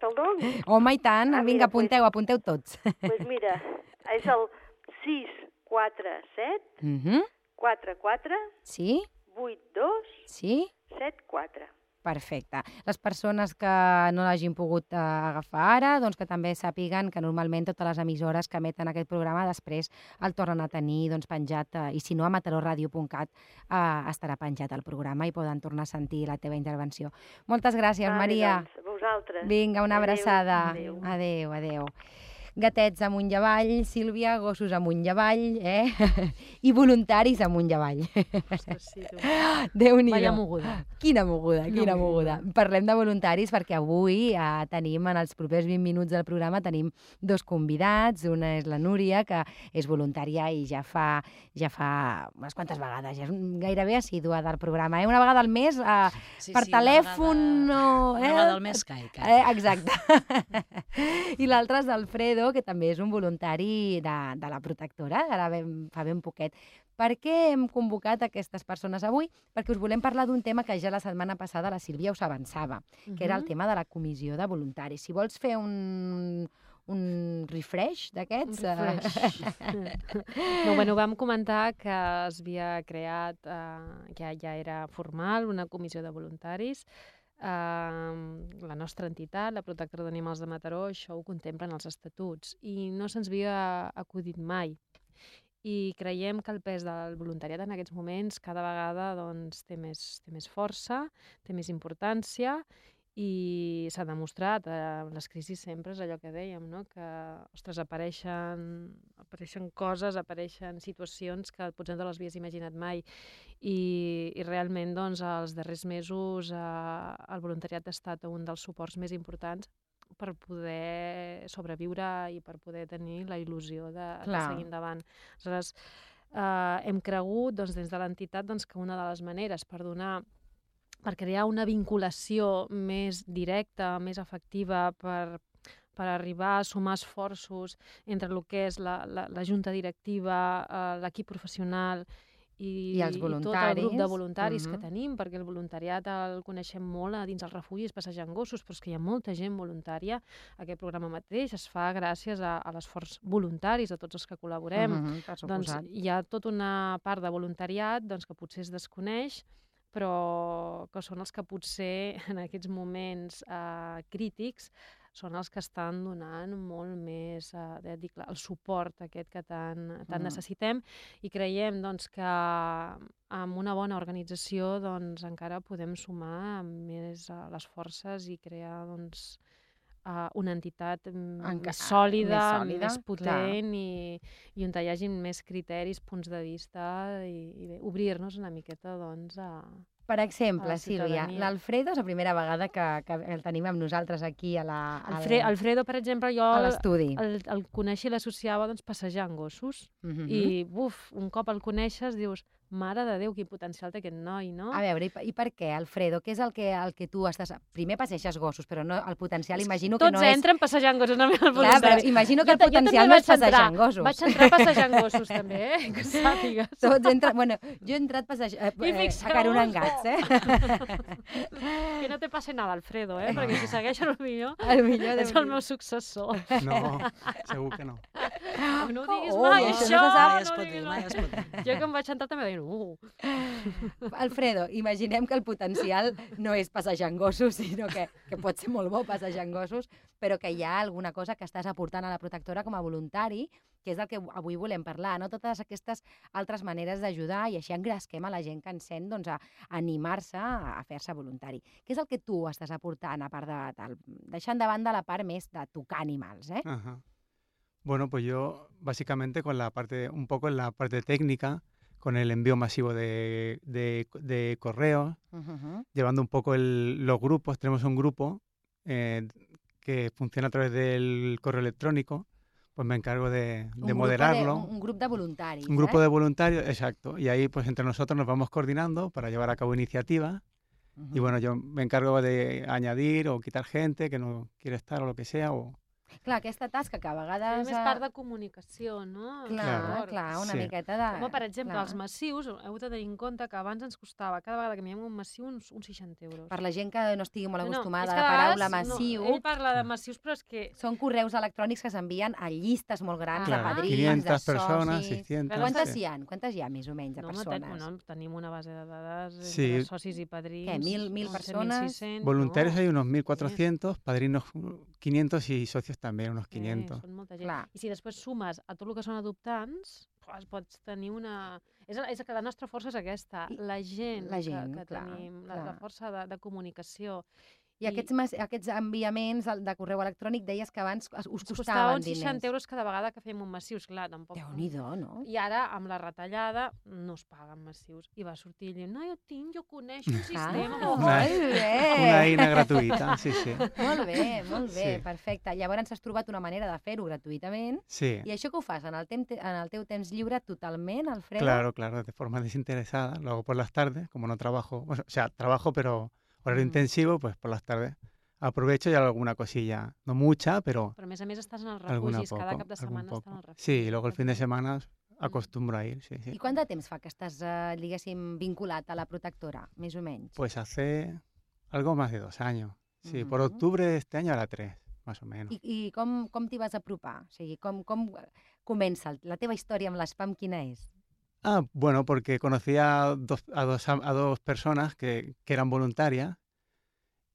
Te'l dono? Home, i tant, ah, vinga, mira, apunteu, pues, apunteu tots. Doncs pues mira, és el sis quatre set mm-hmm. quatre quatre sí? vuit dos sí? set quatre. Perfecte. Les persones que no l'hagin pogut uh, agafar ara, doncs que també sàpiguen que normalment totes les emissores que emeten aquest programa després el tornen a tenir doncs, penjat, uh, i si no a mataró ràdio punt cat uh, estarà penjat el programa i poden tornar a sentir la teva intervenció. Moltes gràcies, vale, Maria. Doncs, vosaltres. Vinga, una adeu, abraçada. Adéu. Adéu, adéu. Gatets amunt i avall, Sílvia, gossos amunt i avall, eh? I voluntaris amunt i avall. Ostres, sí, tu. Déu-n'hi-do. Vaya moguda. Quina moguda, Quina quina moguda. moguda. Parlem de voluntaris perquè avui eh, tenim, en els propers vint minuts del programa, tenim dos convidats. Una és la Núria, que és voluntària i ja fa, ja fa unes quantes vegades, ja és gairebé assídua del programa. Eh? Una vegada al mes, eh, sí, per sí, telèfon... Una vegada, o, eh? una vegada al mes caic. Eh, exacte. I l'altre és Alfredo, que també és un voluntari de, de la protectora, ara ben, fa ben poquet. Per què hem convocat aquestes persones avui? Perquè us volem parlar d'un tema que ja la setmana passada la Sílvia us avançava, uh-huh. que era el tema de la comissió de voluntaris. Si vols fer un, un refresh d'aquests... Un refresh. no, bueno, vam comentar que es havia creat, eh, ja, ja era formal, una comissió de voluntaris. Uh, la nostra entitat, la Protectora d'Animals de Mataró, això ho contemplen els estatuts i no se'ns havia acudit mai. I creiem que el pes del voluntariat en aquests moments cada vegada doncs, té, més, té més força, té més importància i s'ha demostrat, eh, les crisis sempre és allò que dèiem, no? Que ostres, apareixen, apareixen coses, apareixen situacions que potser no les havies imaginat mai i, i realment doncs, els darrers mesos eh, el voluntariat ha estat un dels suports més importants per poder sobreviure i per poder tenir la il·lusió de, de seguir endavant. Aleshores, eh, hem cregut doncs, des de l'entitat doncs, que una de les maneres per donar per crear una vinculació més directa, més efectiva, per, per arribar a sumar esforços entre el que és la, la, la junta directiva, eh, l'equip professional i, I, els i tot el grup de voluntaris uh-huh. que tenim, perquè el voluntariat el coneixem molt a dins els refugis passejant gossos, però és que hi ha molta gent voluntària. Aquest programa mateix es fa gràcies a, a l'esforç voluntaris de tots els que col·laborem. Uh-huh, doncs hi ha tota una part de voluntariat doncs, que potser es desconeix, però que són els que potser en aquests moments eh, crítics són els que estan donant molt més eh, dic, el suport aquest que tant, tant Mm. necessitem, i creiem doncs, que amb una bona organització doncs, encara podem sumar més uh, les forces i crear doncs, uh, una entitat mm, Enca- més sòlida, més sòlida, més potent i, i on hi hagi més criteris, punts de vista i, i bé, obrir-nos una miqueta doncs, a, Per exemple, a la Sílvia, ciutadania. l'Alfredo és la primera vegada que, que el tenim amb nosaltres aquí a la, al, Alfre Alfredo, per exemple, jo a el, l'estudi. el, el coneixia i l'associava doncs, passejant gossos. Mhm. I, buf, un cop el coneixes, dius, mare de Déu, quin potencial té aquest noi, no? A veure, i, per- i per què, Alfredo? Què és el que, el que tu estàs... Primer passeixes gossos, però no, el potencial imagino que Tots no és... entren passejant gossos, no? Clar, però imagino que el potencial no és passejant gossos. Vaig entrar passejant gossos, també, eh? Que sàpigues. Tots entren... Bueno, jo he entrat passejant... Eh, I eh, fixeu-vos. acaronant gats, eh? Que no te passe nada, Alfredo, eh? Perquè si segueixes el millor, El millor és el meu successor. No, segur que no. No ho diguis Oh, mai, això això! no se sap. Mai es no ho pot dir, diguis mai mai. es pot dir. Jo quan vaig entrar també deien, uh, Alfredo, imaginem que el potencial no és passejant gossos, sinó que, que pot ser molt bo passejant gossos, però que hi ha alguna cosa que estàs aportant a la protectora com a voluntari, que és del que avui volem parlar, no? Totes aquestes altres maneres d'ajudar i així engresquem a la gent que ens sent doncs, a animar-se a fer-se voluntari. Què és el que tu estàs aportant, a part de, del, deixant de banda la part més de tocar animals, eh? Ajá. Bueno, pues yo básicamente con la parte, un poco en la parte técnica, con el envío masivo de, de, de correos, Uh -huh. llevando un poco el- los grupos. Tenemos un grupo eh, que funciona a través del correo electrónico, pues me encargo de, de moderarlo. Un, un grup de voluntaris, Un grupo eh? de voluntarios, exacto. Y ahí pues entre nosotros nos vamos coordinando para llevar a cabo iniciativas. Uh Y bueno, yo me encargo de añadir o quitar gente que no quiere estar o lo que sea. O... Clar, aquesta tasca que a és vegades... més eh, part de comunicació, no? Clar, Claro. clar, una Sí. miqueta de... Com, per exemple, clar. els massius, heu de tenir en compte que abans ens costava, cada vegada que mirem un massiu, uns, uns seixanta euros. Per la gent que no estigui molt No, no, acostumada és a que la a paraula vegades, massiu, No, ell parla de massius, però és que... són correus electrònics que s'envien a llistes molt grans Clar, de padrins, quinientas de personas, socis... seiscientas. Quantes sí. hi ha? Quantes hi ha, més o menys, de No, home, ten, persones? bueno, tenim una base de dades Sí. entre socis i padrins. Què, mil- mil onze, persones? mil sis-cents, Voluntarios no? hay unos mil cuatrocientos, padrinos quinientos y socios también unos quinientos. Eh, són molta gent. Clar. I si després sumes a tot el que són adoptants, pues, pots tenir una... És, és que la nostra força és aquesta, I- la gent, la gent, que, que clar, tenim, la, clar. la força de, de comunicació. I aquests, mas- aquests enviaments de de correu electrònic deies que abans us Ens costava costaven uns diners. seixanta euros cada vegada que fèiem un massiu, esclar, tampoc... Déu-n'hi-do, no? I ara, amb la retallada, no es paguen massius. I va sortir ell dient, no, jo tinc, jo coneixo un sistema. Ah, Oh, Una- molt bé! Una eina gratuita, sí, sí. Molt bé, molt bé, Sí. perfecte. Llavors has trobat una manera de fer-ho gratuïtament. Sí, I això que ho fas en el, tem en el teu temps lliure totalment, Alfredo? claro, claro, de forma desinteresada. Lo hago por las tardes, como no trabajo, o sea, trabajo, pero horario Mm. intensivo, pues por las tardes aprovecho y hago alguna cosilla, no mucha, pero Però a més a més estàs en els alguna refugis, poco. cada cap de algún setmana poco. estàs en el refugi. Sí, y luego el fin de semana acostumbro a ir, sí, sí. I quant de temps fa que estàs, eh, diguéssim, vinculat a la protectora, més o menys? Pues hace algo más de dos años. Sí, por Ujú. octubre de este año hará tres, más o menos. I, i com, com t'hi vas apropar? O sigui, com, com comença? el- La teva història amb l'espam quina és? Ah, bueno, porque conocí a dos, a dos, am- a dos personas que, que eran voluntarias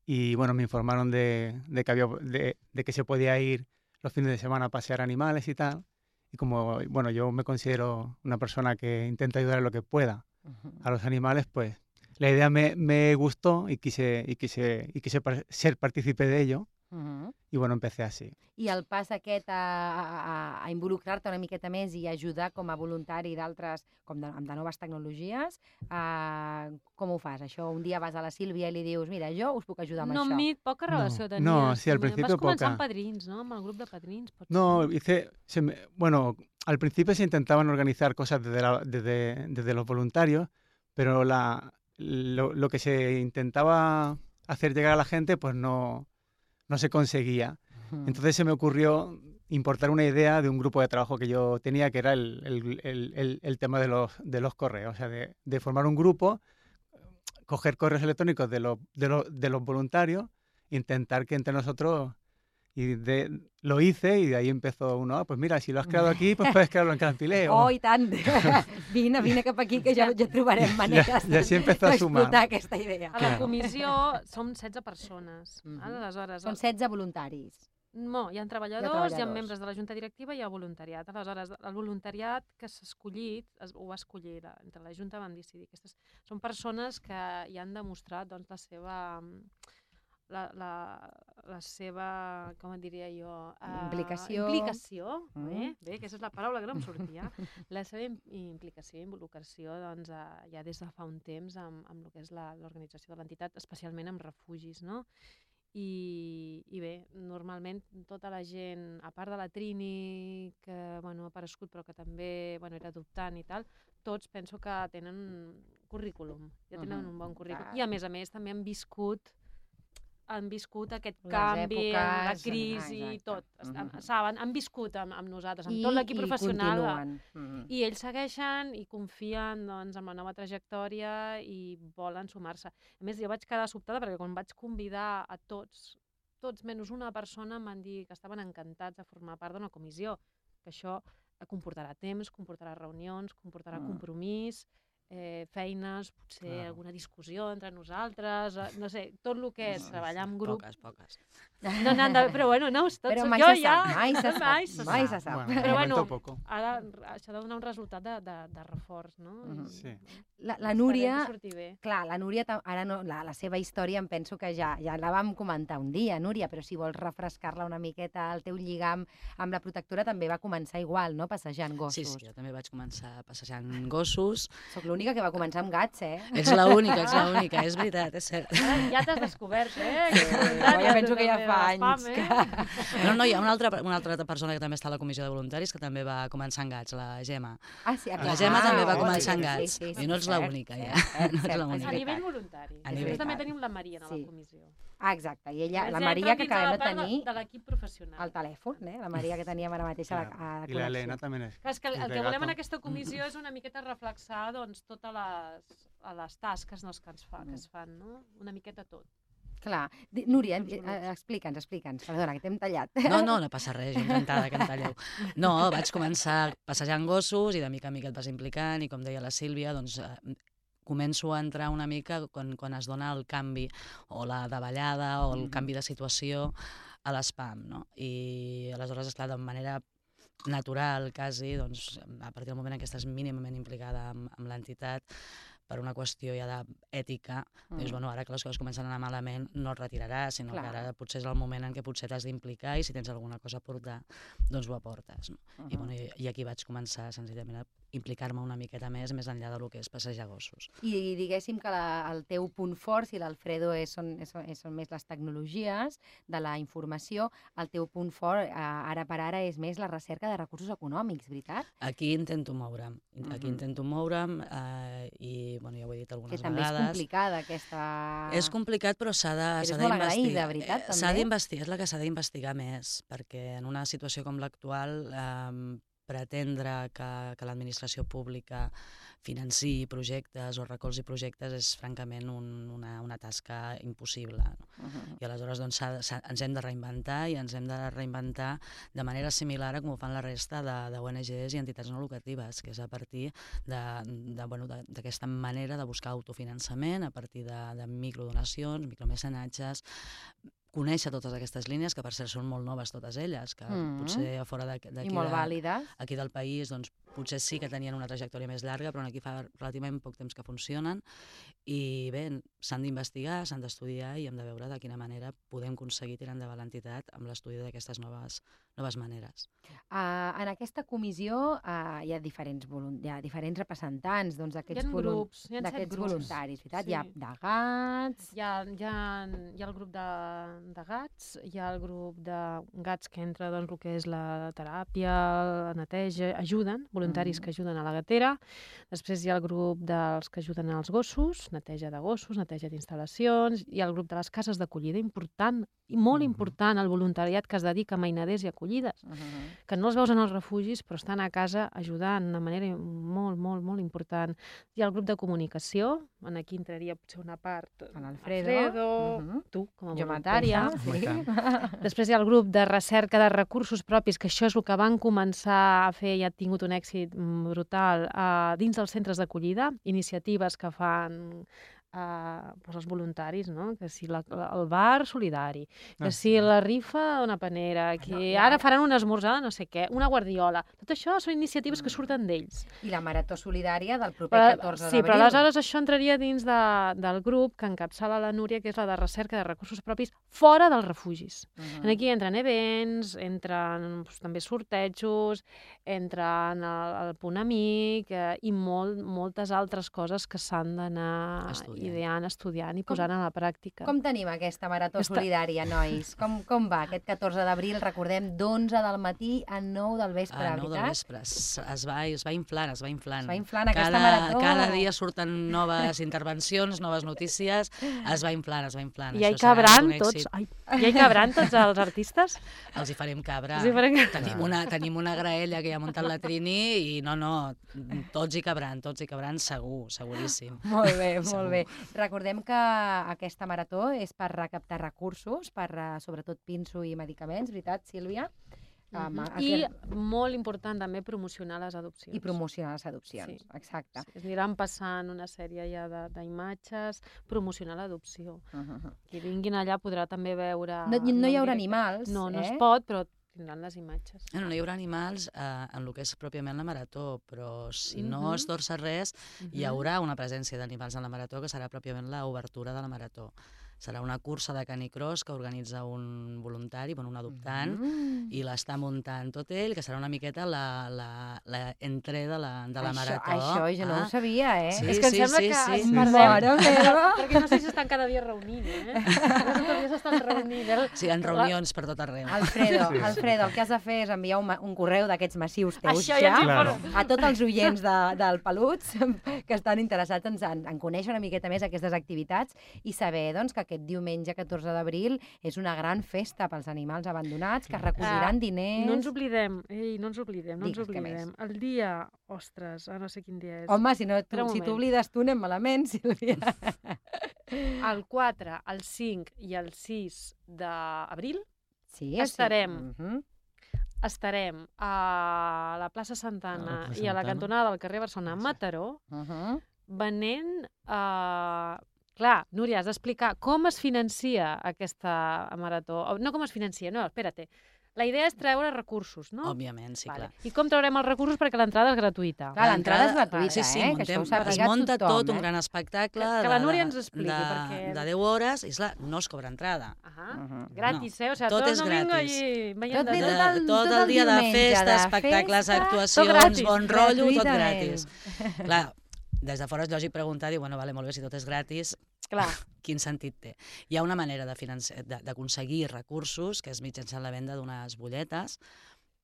y bueno, me informaron de, de que había, de, de que se podía ir los fines de semana a pasear animales y tal. Y como, bueno, yo me considero una persona que intenta ayudar en lo que pueda a los animales, pues la idea me, me gustó y quise, y quise, y quise par- ser partícipe de ello. Uh -huh. Y bueno, empecé así. I el pas aquest a, a, a involucrar-te una miqueta més i ajudar com a voluntari d'altres, com de, amb de noves tecnologies, uh, com ho fas? Això, un dia vas a la Sílvia i li dius, mira, jo us puc ajudar amb No, això. amb mi poca No. relació tenies. No, sí, al Vas principio començar poca. amb padrins, no? Amb el grup de padrins, pot No, ser. hice, se me- bueno, al principio se intentaban organizar cosas desde, la- desde, desde los voluntarios, pero la, lo, lo que se intentaba hacer llegar a la gente, pues no, no se conseguía. Mm. Entonces se me ocurrió importar una idea de un grupo de trabajo que yo tenía, que era el, el- el- el- el tema de los, de los correos, o sea, de, de formar un grupo, coger correos electrónicos de los, de los, de los voluntarios, intentar que entre nosotros Y de, lo hice y de ahí empezó uno, ah, pues mira, si lo has creado aquí, pues puedes crearlo en Cantileo. Oh, i tant! Vine, vine cap aquí, que ja, ja trobarem maneres ja, ja s'hi empezó a sumar. d'explotar aquesta idea. A la comissió som setze persones. Mhm. Aleshores, Són setze voluntaris. no, hi ha treballadors, hi ha, treballadors. membres de la Junta Directiva i hi ha voluntariat. Aleshores, el voluntariat que s'ha escollit, es, ho va escollir, la, entre la Junta vam decidir. Aquestes són persones que hi han demostrat doncs, la seva... La, la, la seva, com et diria jo... Uh, Implicació. Implicació, Mm. eh? Bé, aquesta és la paraula que no em sortia. La seva im- implicació i involucració doncs, uh, ja des de fa un temps amb, amb el que és la- l'organització de l'entitat, especialment amb refugis, no? I, I bé, normalment tota la gent, a part de la Trini, que bueno, ha aparegut però que també bueno, era adoptant i tal, tots penso que tenen currículum, ja tenen Mhm. un bon currículum. Clar. I a més a més també han viscut han viscut aquest Les canvi, la èpoques, crisi, ah, exacte. tot. Mhm. Saben, han viscut amb, amb nosaltres, amb I, tot l'equip i professional. continuen. Mhm. I ells segueixen i confien doncs, en la nova trajectòria i volen sumar-se. A més, jo vaig quedar sobtada perquè quan vaig convidar a tots, tots menys una persona em van dir que estaven encantats de formar part d'una comissió, que això comportarà temps, comportarà reunions, comportarà Mm. compromís, eh, feines, potser Clar. alguna discussió entre nosaltres, eh, no sé, tot el que és Sí, treballar en grup. Poques, poques. No n'han de... Però bueno, no, tots, Però mai jo se ja... sap, mai se sap, mai se mai sap. se sap. Bueno, de Però momento bueno, poco. Ara això ha de donar un resultat de, de, de reforç, no? Mhm. I, Sí. La, la esperem Núria, que surti bé. clar, la Núria, ta- ara no, la, la seva història em penso que ja, ja la vam comentar un dia, Núria, però si vols refrescar-la una miqueta, el teu lligam amb la protectora també va començar igual, no?, passejant gossos. Sí, sí, jo també vaig començar passejant gossos. Soc l'única que va començar amb gats, eh? Ets l'única, ets l'única, és veritat, és cert. Ara ja t'has descobert, eh? Sí, ja penso que ja fa anys eh? que... No, no, hi ha una altra, una altra persona que també està a la comissió de voluntaris que també va començar amb gats, la Gemma. Ah, sí, La Gemma també va oh, començar sí, amb sí, gats. sí, sí, I no ets cert, l'única, ja. cert, No ets cert, l'única. A és nivell veritat. voluntari. A Després nivell- també tenim la Maria a Sí. la comissió. Ah, exacte, i ella, la Ens Maria, entra que dins de la acabem de part de- tenir de l'equip professional. al telèfon, eh? La Maria que teníem ara mateix a la, a la Claro. Y la connexió. Elena también es. Clar, és que el, és el de que volem gato. en aquesta comissió és una miqueta reflexar doncs, totes les, les tasques doncs, que, ens fa, que es fan, no? Una miqueta tot. Clar. Di- Núria, Uns eh, minuts. explica'ns, explica'ns. Perdona, que t'hem tallat. No, no, no passa res, jo encantada que em talleu. No, vaig començar passejant gossos i de mica en mica et vas implicant i com deia la Sílvia, doncs eh, començo a entrar una mica quan, quan es dona el canvi o la davallada o el Mhm. canvi de situació a l'espam, no? I aleshores, esclar, de manera natural, quasi, doncs, a partir del moment en què estàs mínimament implicada amb, amb l'entitat, per una qüestió ja d'ètica, mm. dius, bueno, ara que les coses comencen a anar malament, no et retiraràs, sinó Clar. que ara potser és el moment en què potser t'has d'implicar i si tens alguna cosa a portar, doncs ho aportes. No? Uh -huh. I, bueno, i, I aquí vaig començar senzillament a implicar-me una miqueta més, més enllà del que és passejar gossos. I diguéssim que la, el teu punt fort, si l'Alfredo és, són, és, és, són més les tecnologies de la informació, el teu punt fort eh, ara per ara és més la recerca de recursos econòmics, veritat? Aquí intento moure'm, aquí Mhm. intento moure'm eh, i, bueno, ja ho he dit Que algunes també vegades. és complicada aquesta... És complicat, però s'ha de- Eres s'ha molt d'investigar. agraïda, veritat, Eh, S'ha també? d'investigar, és la que s'ha d'investigar més, perquè en una situació com l'actual eh, pretendre que, que l'administració pública financi projectes o recolzi projectes és francament un, una, una tasca impossible. No? Uh -huh. I aleshores doncs, s'ha- s'ha- ens hem de reinventar i ens hem de reinventar de manera similar a com ho fan la resta de, de O N Ges i entitats no lucratives, que és a partir de, de, bueno, de, d'aquesta manera de buscar autofinançament, a partir de, de microdonacions, micromecenatges, conèixer totes aquestes línies, que per cert són molt noves totes elles, que Mm. potser a fora d'aquí I molt de, vàlides. aquí del país doncs, potser sí que tenien una trajectòria més llarga, però aquí fa relativament poc temps que funcionen i bé, s'han d'investigar, s'han d'estudiar i hem de veure de quina manera podem aconseguir tirar endavant l'entitat amb l'estudi d'aquestes noves, noves maneres. Uh, en aquesta comissió uh, hi ha diferents, volun- hi ha diferents representants doncs, Hi d'aquests ha volun- grups, hi ha set d'aquests grups. voluntaris, veritat? Sí. Hi ha de gats... Hi ha, hi, ha, hi ha el grup de, de gats, hi ha el grup de gats que entra doncs, el que és la teràpia, la neteja, ajuden, voluntaris Mm. que ajuden a la gatera. Després hi ha el grup dels que ajuden als gossos, neteja de gossos, neteja d'instal·lacions. Hi ha el grup de les cases d'acollida, important, i molt Mhm. important, el voluntariat que es dedica a mainaders i acollides, Mhm. que no els veus en els refugis, però estan a casa ajudant de manera molt, molt, molt important. Hi ha el grup de comunicació, en aquí entraria potser una part... En Alfredo. Alfredo, Mhm. tu, com a Jo voluntària. mateixa, I sí. Després hi ha el grup de recerca de recursos propis, que això és el que van començar a fer i ha tingut un èxit mm, brutal uh, dins dels centres d'acollida, iniciatives que fan uh, doncs els voluntaris, no? Que si la, la, el bar solidari, que Ah, si sí. la rifa d'una panera, que i ara ara- faran un esmorzar de no sé què, una guardiola. Tot això són iniciatives que surten d'ells. I la marató solidària del proper Però, catorze sí, d'abril. però aleshores això entraria dins de, del grup que encapçala la Núria, que és la de recerca de recursos propis fora dels refugis. Mhm. En aquí entren events, entren doncs, també sortejos, entren el, el punt amic eh, i molt, moltes altres coses que s'han d'anar Estudiant. ideant, estudiant i Com- posant a la pràctica. Com tenim aquesta marató Aquesta- solidària, nois? Com, com va aquest catorze d'abril? Recordem, d'onze del matí a nou del vespre, A nou del veritat? vespre. Es, es, va, es va inflant, es va inflant. Es va inflant aquesta cada, marató. Cada dia surten noves intervencions, noves notícies. Es va inflant, es va inflant. I ja hi Això serà cabran un tots, èxit. ai, ja hi cabran tots els artistes? Els hi farem cabra. Els hi farem cabra. Tenim una, tenim una graella que ja ha muntat la Trini i no, no, tots hi cabran, tots hi cabran segur, seguríssim. Molt bé, molt Segur. bé. Recordem que aquesta marató és per recaptar recursos, per eh, sobretot pinso i medicaments, veritat, Sílvia? Um, Mhm. es- I molt important també promocionar les adopcions. I promocionar les adopcions, Sí. exacte. Sí, es aniran passant una sèrie ja de- d'imatges, promocionar l'adopció. Uh -huh. Qui vinguin allà podrà també veure... No, no hi en haurà directe. animals, No, no eh? es pot, però tindran les imatges. No, no hi haurà animals eh, en el que és pròpiament la marató, però si no Mhm. es torça res, hi Mhm. haurà una presència d'animals en la marató que serà pròpiament l'obertura de la marató. Serà una cursa de canicross que organitza un voluntari, bueno, un adoptant, Mm. i l'està muntant tot ell, que serà una miqueta la, la, la entré de la, de la això, marató. Això jo no Ah, ho sabia, eh? Sí, És que em sí, sembla sí, que sí. ens Sí, perdem. Mare meva! Perquè no sé si estan cada dia reunint, eh? Tots els dies estan reunint. eh? Sí, hi ha reunions per tot arreu. Alfredo, Sí. Alfredo, el que has de fer és enviar un, ma- un correu d'aquests massius teus Això ja ja, ens Claro. importa. a tots els oients de, del Peluts que estan interessats en, en, en conèixer una miqueta més aquestes activitats i saber doncs, que aquest diumenge catorze d'abril és una gran festa pels animals abandonats, que es recolliran Ah, diners... No ens oblidem, ei, no ens oblidem, no ens Digues, què oblidem. El dia, ostres, ah, no sé quin dia és. Home, si, no, Espera tu, un si moment. t'oblides tu anem malament, Sílvia. El quatre, el cinc i el sis d'abril Sí, Estarem. Sí. Mhm. estarem a la plaça Santana A la plaça i a la Santana. cantonada del carrer Barcelona, a Sí. Mataró, Mhm. venent... Uh, clar, Núria, has d'explicar com es financia aquesta marató. O, no com es financia, no, espera't. La idea és treure recursos, no? Òbviament, sí, Vale. clar. I com traurem els recursos? Perquè l'entrada és gratuïta. Clar, l'entrada és L'entrada- gratuïta, sí, sí, eh? Que això ho muntem, sàpiga es munta tothom, tot, un eh? gran espectacle Que- que de, la de, Núria ens expliqui, de, perquè- de deu hores, i esclar, no es cobra entrada. Ah, Mhm. gratis, eh? O sigui, tot tot és el domingo gratis. allí veient Tot de bé, De, tot. tot el- tot tot el el dia de diumenge, festa, de espectacles, festa, actuacions, gratis, bon rotllo, tot gratuïtament. gratis. Clar, des de fora és lògic preguntar, dir, bueno, vale, molt bé, si tot és gratis, Clar, quin sentit té? Hi ha una manera de financi- de- d'aconseguir recursos, que és mitjançant la venda d'unes butlletes,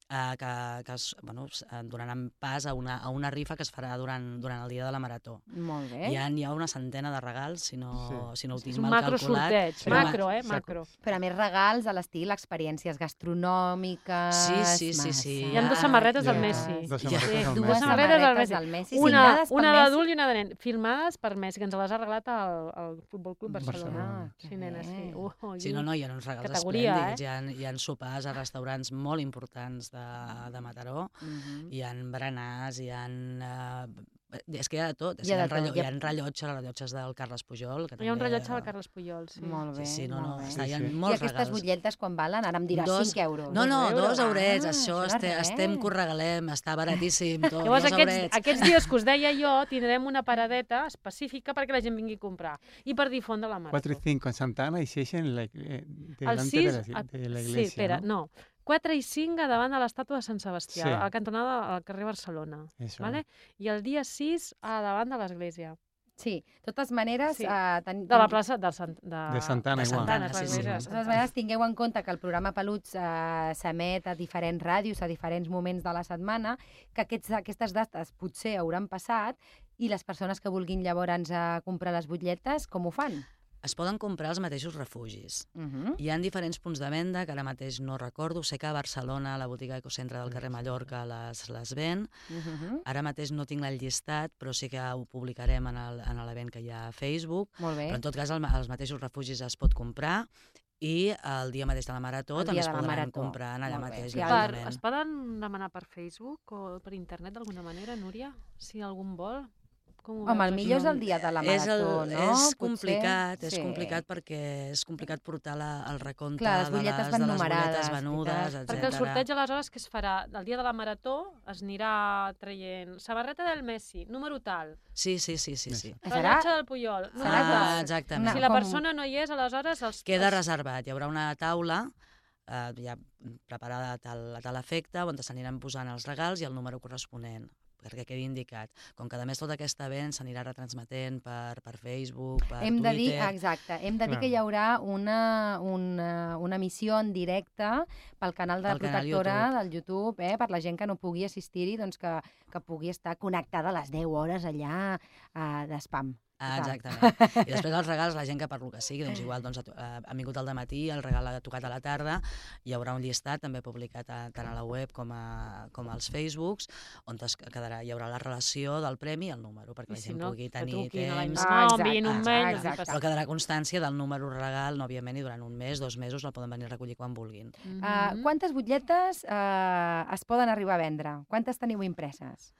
eh, que, que es, bueno, es- eh, donaran pas a una, a una rifa que es farà durant, durant el dia de la marató. Molt bé. Hi ha, hi ha una centena de regals, si no, Sí. si no ho és tinc un mal macro calculat. sorteig. Però- Macro, eh? Saco. Macro. Però a més regals a l'estil experiències gastronòmiques... Sí, sí, sí, sí. Hi ha dos samarretes del Ja, Messi. Dos Ja. samarretes del Dues Dues Messi. samarretes del samarretes Messi. del Messi, Una, signades pel una Messi. d'adult i una de nen. Filmades per Messi, que ens les ha regalat al, al Futbol Club Barcelona. Barcelona. Ah, Sí, nena, sí. bé. Uh, uh, Sí, no, no, hi ha uns regals Categoria, esplèndids. Hi, ha, hi ha sopars a restaurants molt importants de, de Mataró. Mhm. Hi ha berenars, hi ha... Eh, és que hi ha de tot. És Hi ha que de hi, ha tot, hi hi ha- ha rellotges, rellotges del Carles Pujol. Que Hi ha un també, rellotge del eh, Carles Pujol, sí. Molt bé, Sí, sí, no, no, molt bé. està, hi ha Sí, sí. I molts aquestes regals. butlletes quan valen? Ara em diràs Dos- cinc euros. No, no, Dos dos euros. eurets, Ah, això, això de este, res. estem que ho regalem, està baratíssim, tot, Llavors, dos aquests, eurets. aquests dies que us deia jo, tindrem una paradeta específica perquè la gent vingui a comprar i per difondre la marató. cuatro y cinco en Santana y seis en la, eh, El delante sis, de, la, de la sí, iglesia. espera, ¿no? no. quatre i cinc a davant de l'estàtua de Sant Sebastià, Sí. a la cantonada al carrer Barcelona. Eso. Vale? I el dia sis a davant de l'església. Sí, de totes maneres... Sí. Eh, ten... De la plaça de, Sant... de... De Santana, de igual. Santana, clar, sí, sí. mira, De totes maneres, tingueu en compte que el programa Peluts eh, s'emet a diferents ràdios, a diferents moments de la setmana, que aquests, aquestes dates potser hauran passat i les persones que vulguin llavors eh, comprar les butlletes, com ho fan? Es poden comprar als mateixos refugis. Uh -huh. Hi ha diferents punts de venda, que ara mateix no recordo. Sé que a Barcelona, la botiga Ecocentre del carrer Mallorca les, les ven. Uh -huh. Ara mateix no tinc el llistat, però sí que ho publicarem en el- en l'event que hi ha a Facebook. Molt bé. Però en tot cas, al- als mateixos refugis es pot comprar i el dia mateix de la Marató El també dia es de la podran Marató. comprar allà Molt bé. mateix. Sí, Per, directament. es poden demanar per Facebook o per internet d'alguna manera, Núria? Si algun vol? Com ho Home, el veus, millor és això? el dia de la És, el, Marató, no? és Potser? complicat, és Sí. complicat perquè és complicat portar la, el recompte Clar, les de butlletes les, van de les numerades, butlletes venudes, veritat. etcètera. Perquè el sorteig aleshores què es farà? El dia de la Marató es anirà traient samarreta del Messi, número tal, Sí, sí, sí, sí. sí. Serà- rellotge del Puyol, número Serà Ah, tal. exactament. Si la com- persona no hi és, aleshores... Els, Queda els... reservat. Hi haurà una taula eh, ja preparada a tal, a tal efecte, on s'aniran posant els regals i el número corresponent, perquè quedi indicat. Com que, a més, tot aquest event s'anirà retransmetent per, per Facebook, per Hem de dir, Twitter... exacte, hem de dir Clar. que hi haurà una, una, una emissió en directe pel canal de la Pel canal Protectora YouTube. del YouTube, eh, per la gent que no pugui assistir-hi, doncs que, que pugui estar connectada a les deu hores allà eh, d'espam. Ah, Total. exactament. I després els regals, la gent que per lo que sigui, doncs igual doncs, ha, to- ha ha vingut al dematí, el regal ha tocat a la tarda, hi haurà un llistat també publicat a, tant a la web com, a, com als Facebooks, on es quedarà, hi haurà la relació del premi i el número, perquè I la si gent no, pugui que tenir truquin a la temps. Ah, no, exacte, enviïn un mail. exacte. Però quedarà constància del número regal, no, òbviament, i durant un mes, dos mesos, el poden venir a recollir quan vulguin. Mhm. Uh, quantes butlletes uh, es poden arribar a vendre? Quantes teniu impreses?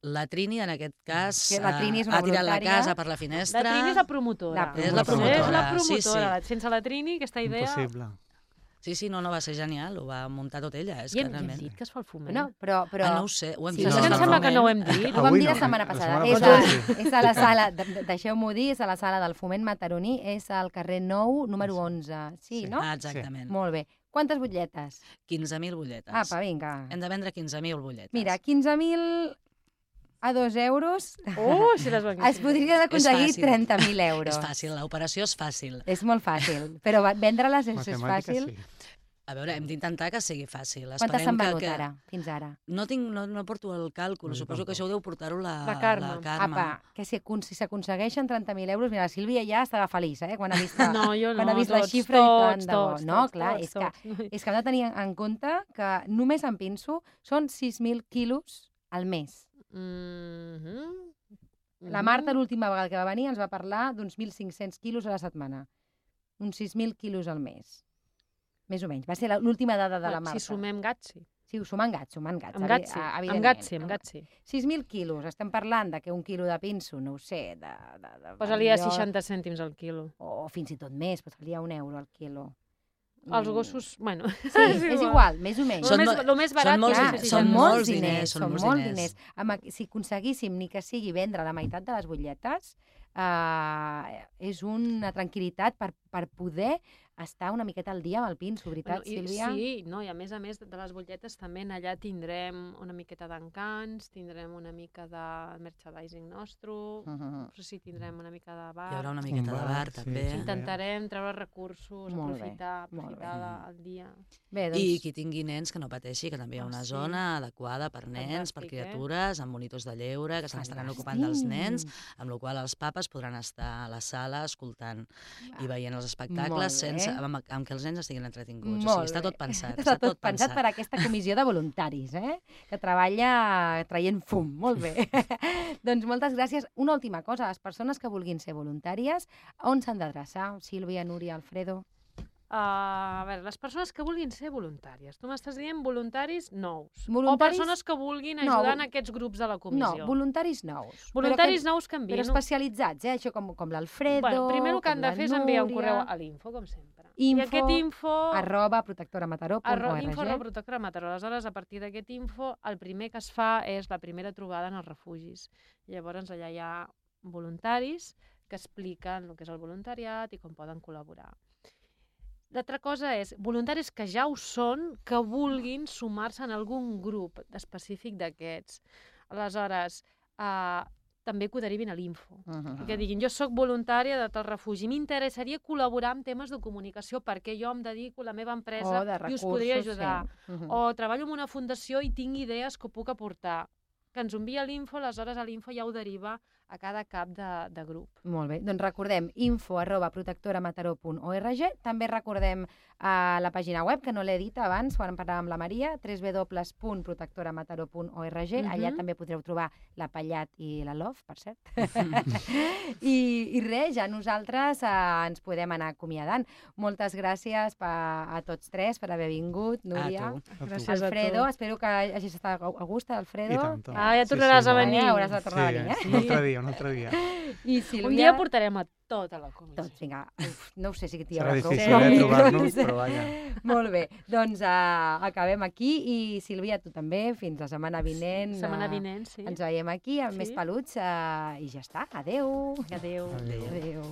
La Trini, en aquest cas, Que la Trini és una ha tirat la voluntària. casa per la La finestra. Trini és la promotora. La És la promotora. És la promotora, sí, promotora. Sense la Trini, aquesta idea... Impossible. Sí, sí, no, no, va ser genial, ho va muntar tot ella. És I que hem, hem realment... dit que es fa el foment. No, però... però... Ah, no ho sé, ho hem Sí, dit. és És que no, em no, sembla no. que no ho hem dit. Ho vam Avui dir la no, setmana la passada. setmana És, passada a, sí. és a la sala, de- de- deixeu-m'ho dir, és a la sala del Foment Mataroní, és al carrer nou, número onze. Sí, Sí. no? Ah, exactament. Molt bé. Quantes butlletes? quinze mil butlletes. Apa, vinga. Hem de vendre quinze mil butlletes. Mira, quinze mil a dos euros Uh, si les venguessin. es podrien aconseguir fàcil. trenta mil euros. És fàcil, l'operació és fàcil. És molt fàcil, però va- vendre-les és, és Matemàtiques, fàcil. sí. A veure, hem d'intentar que sigui fàcil. Quantes Esperem s'han que- venut que... ara, fins ara? No, tinc, no, no porto el càlcul, No, jo suposo que tampoc. això ho deu portar-ho la, La Carme. La Carme. Apa, que si, acon- si s'aconsegueixen trenta mil euros, mira, la Sílvia ja estava feliç, eh, quan ha vist, No, jo no, quan ha vist la tots, xifra i tant tots, de bo. tots, No, tots, clar, tots, és que tots. és que hem de tenir en compte que només en pinso són sis mil quilos al mes. Mhm. La Marta, l'última vegada que va venir, ens va parlar d'uns mil cinc-cents quilos a la setmana. Uns sis mil quilos al mes. Més o menys. Va ser la- l'última dada de la Bueno, Marta. Si sumem gats, sí. Sí, ho sumant gats, sumant gats. Amb gats sí, evi- amb evidentment. gats sí, amb gats sí. sis mil quilos. Estem parlant de que un quilo de pinso, no ho sé, de... de, de Posa-li a millor- seixanta cèntims al quilo. O fins i tot més, posa-li a un euro al quilo. Els Mm. gossos, bueno... Sí, és igual, més o menys. Lo Són més, mo- lo més barat... són molts Clar, que diners, és són són molts molts diners, diners, són són molts molts diners. diners. Amb, aqu- si aconseguíssim ni que sigui vendre la meitat de les butlletes, eh, és una tranquil·litat per, per poder estar una miqueta al dia amb el pinso, veritat, Bueno, i, Sílvia? sí, no, i a més a més de les butlletes també en allà tindrem una miqueta d'encants, tindrem una mica de merchandising nostre, Mhm. però sí tindrem una mica de bar. Hi haurà una miqueta Un de bar, bar, sí, també. sí. Intentarem treure recursos, Molt bé, aprofitar, molt bé. aprofitar la- el dia. Bé, doncs... I qui tingui nens que no pateixi, que també hi ha Ah, una sí. zona adequada per nens, per Fantàstic, eh? criatures, amb monitors de lleure, que se n'estaran Fantàstic. ocupant dels nens, amb la qual cosa els papes podran estar a la sala escoltant i veient els Molt espectacles bé. sense, amb, amb que els nens estiguin entretinguts. O Molt sigui, està bé. tot pensat. Està tot pensat per aquesta comissió de voluntaris, eh? que treballa traient fum. Molt bé. Doncs moltes gràcies. Una última cosa, les persones que vulguin ser voluntàries, on s'han d'adreçar? Sílvia, Núria, Alfredo? Uh, a veure, les persones que vulguin ser voluntàries. Tu m'estàs dient voluntaris nous. Voluntaris- O persones que vulguin No, ajudar vol- en aquests grups de la No, comissió. voluntaris nous. Voluntaris però nous que que, envien. però especialitzats, eh? Això com, com l'Alfredo, Bueno, primer el que com han de la fer és enviar un Núria, correu a l'info, com sempre. Info, I aquest info... arroba protectoramataró punt Arro, org. info arroba protectora Mataró. Aleshores, a partir d'aquest info, el primer que es fa és la primera trobada en els refugis. Llavors, allà hi ha voluntaris que expliquen el que és el voluntariat i com poden col·laborar. L'altra cosa és voluntaris que ja ho són, que vulguin sumar-se en algun grup específic d'aquests. Aleshores, eh, també que ho derivin a l'info. Uh -huh. Que diguin, jo sóc voluntària de tal refugi, m'interessaria col·laborar en temes de comunicació perquè jo em dedico a la meva empresa i us podria ajudar. Sí. Uh -huh. O treballo en una fundació i tinc idees que puc aportar. Que ens envia l'info, aleshores a l'info ja ho deriva a cada cap de, de grup. Molt bé, doncs recordem info arroba protectoramataró punt org. També recordem a la pàgina web, que no l'he dit abans, quan parlàvem amb la Maria, w w w punt protectoramataró punt org. Uh-huh. Allà també podreu trobar la Pallat i la Love, per cert. I, I res, ja nosaltres eh, ens podem anar acomiadant. Moltes gràcies pa, a tots tres per haver vingut, Núria. A tu. Gràcies Alfredo, a tu. espero que hagis estat a gust, Alfredo. I tant. Ah, ja tornaràs sí, a molt. venir. Ja hauràs de tornar Sí, a venir, eh? un altre dia, un altre dia. I Sílvia... Un dia portarem a tota la comissió. Tots, vinga. Uf, no ho sé si t'hi Serà haurà prou. difícil, però eh, micros. trobar-nos, però vaja. Molt bé, doncs uh, acabem aquí i Sílvia, tu també, fins la setmana vinent. Sí, setmana eh, vinent, sí. Ens veiem aquí amb Sí. més peluts uh, i ja està. Adéu. Adéu. Adéu. Adéu.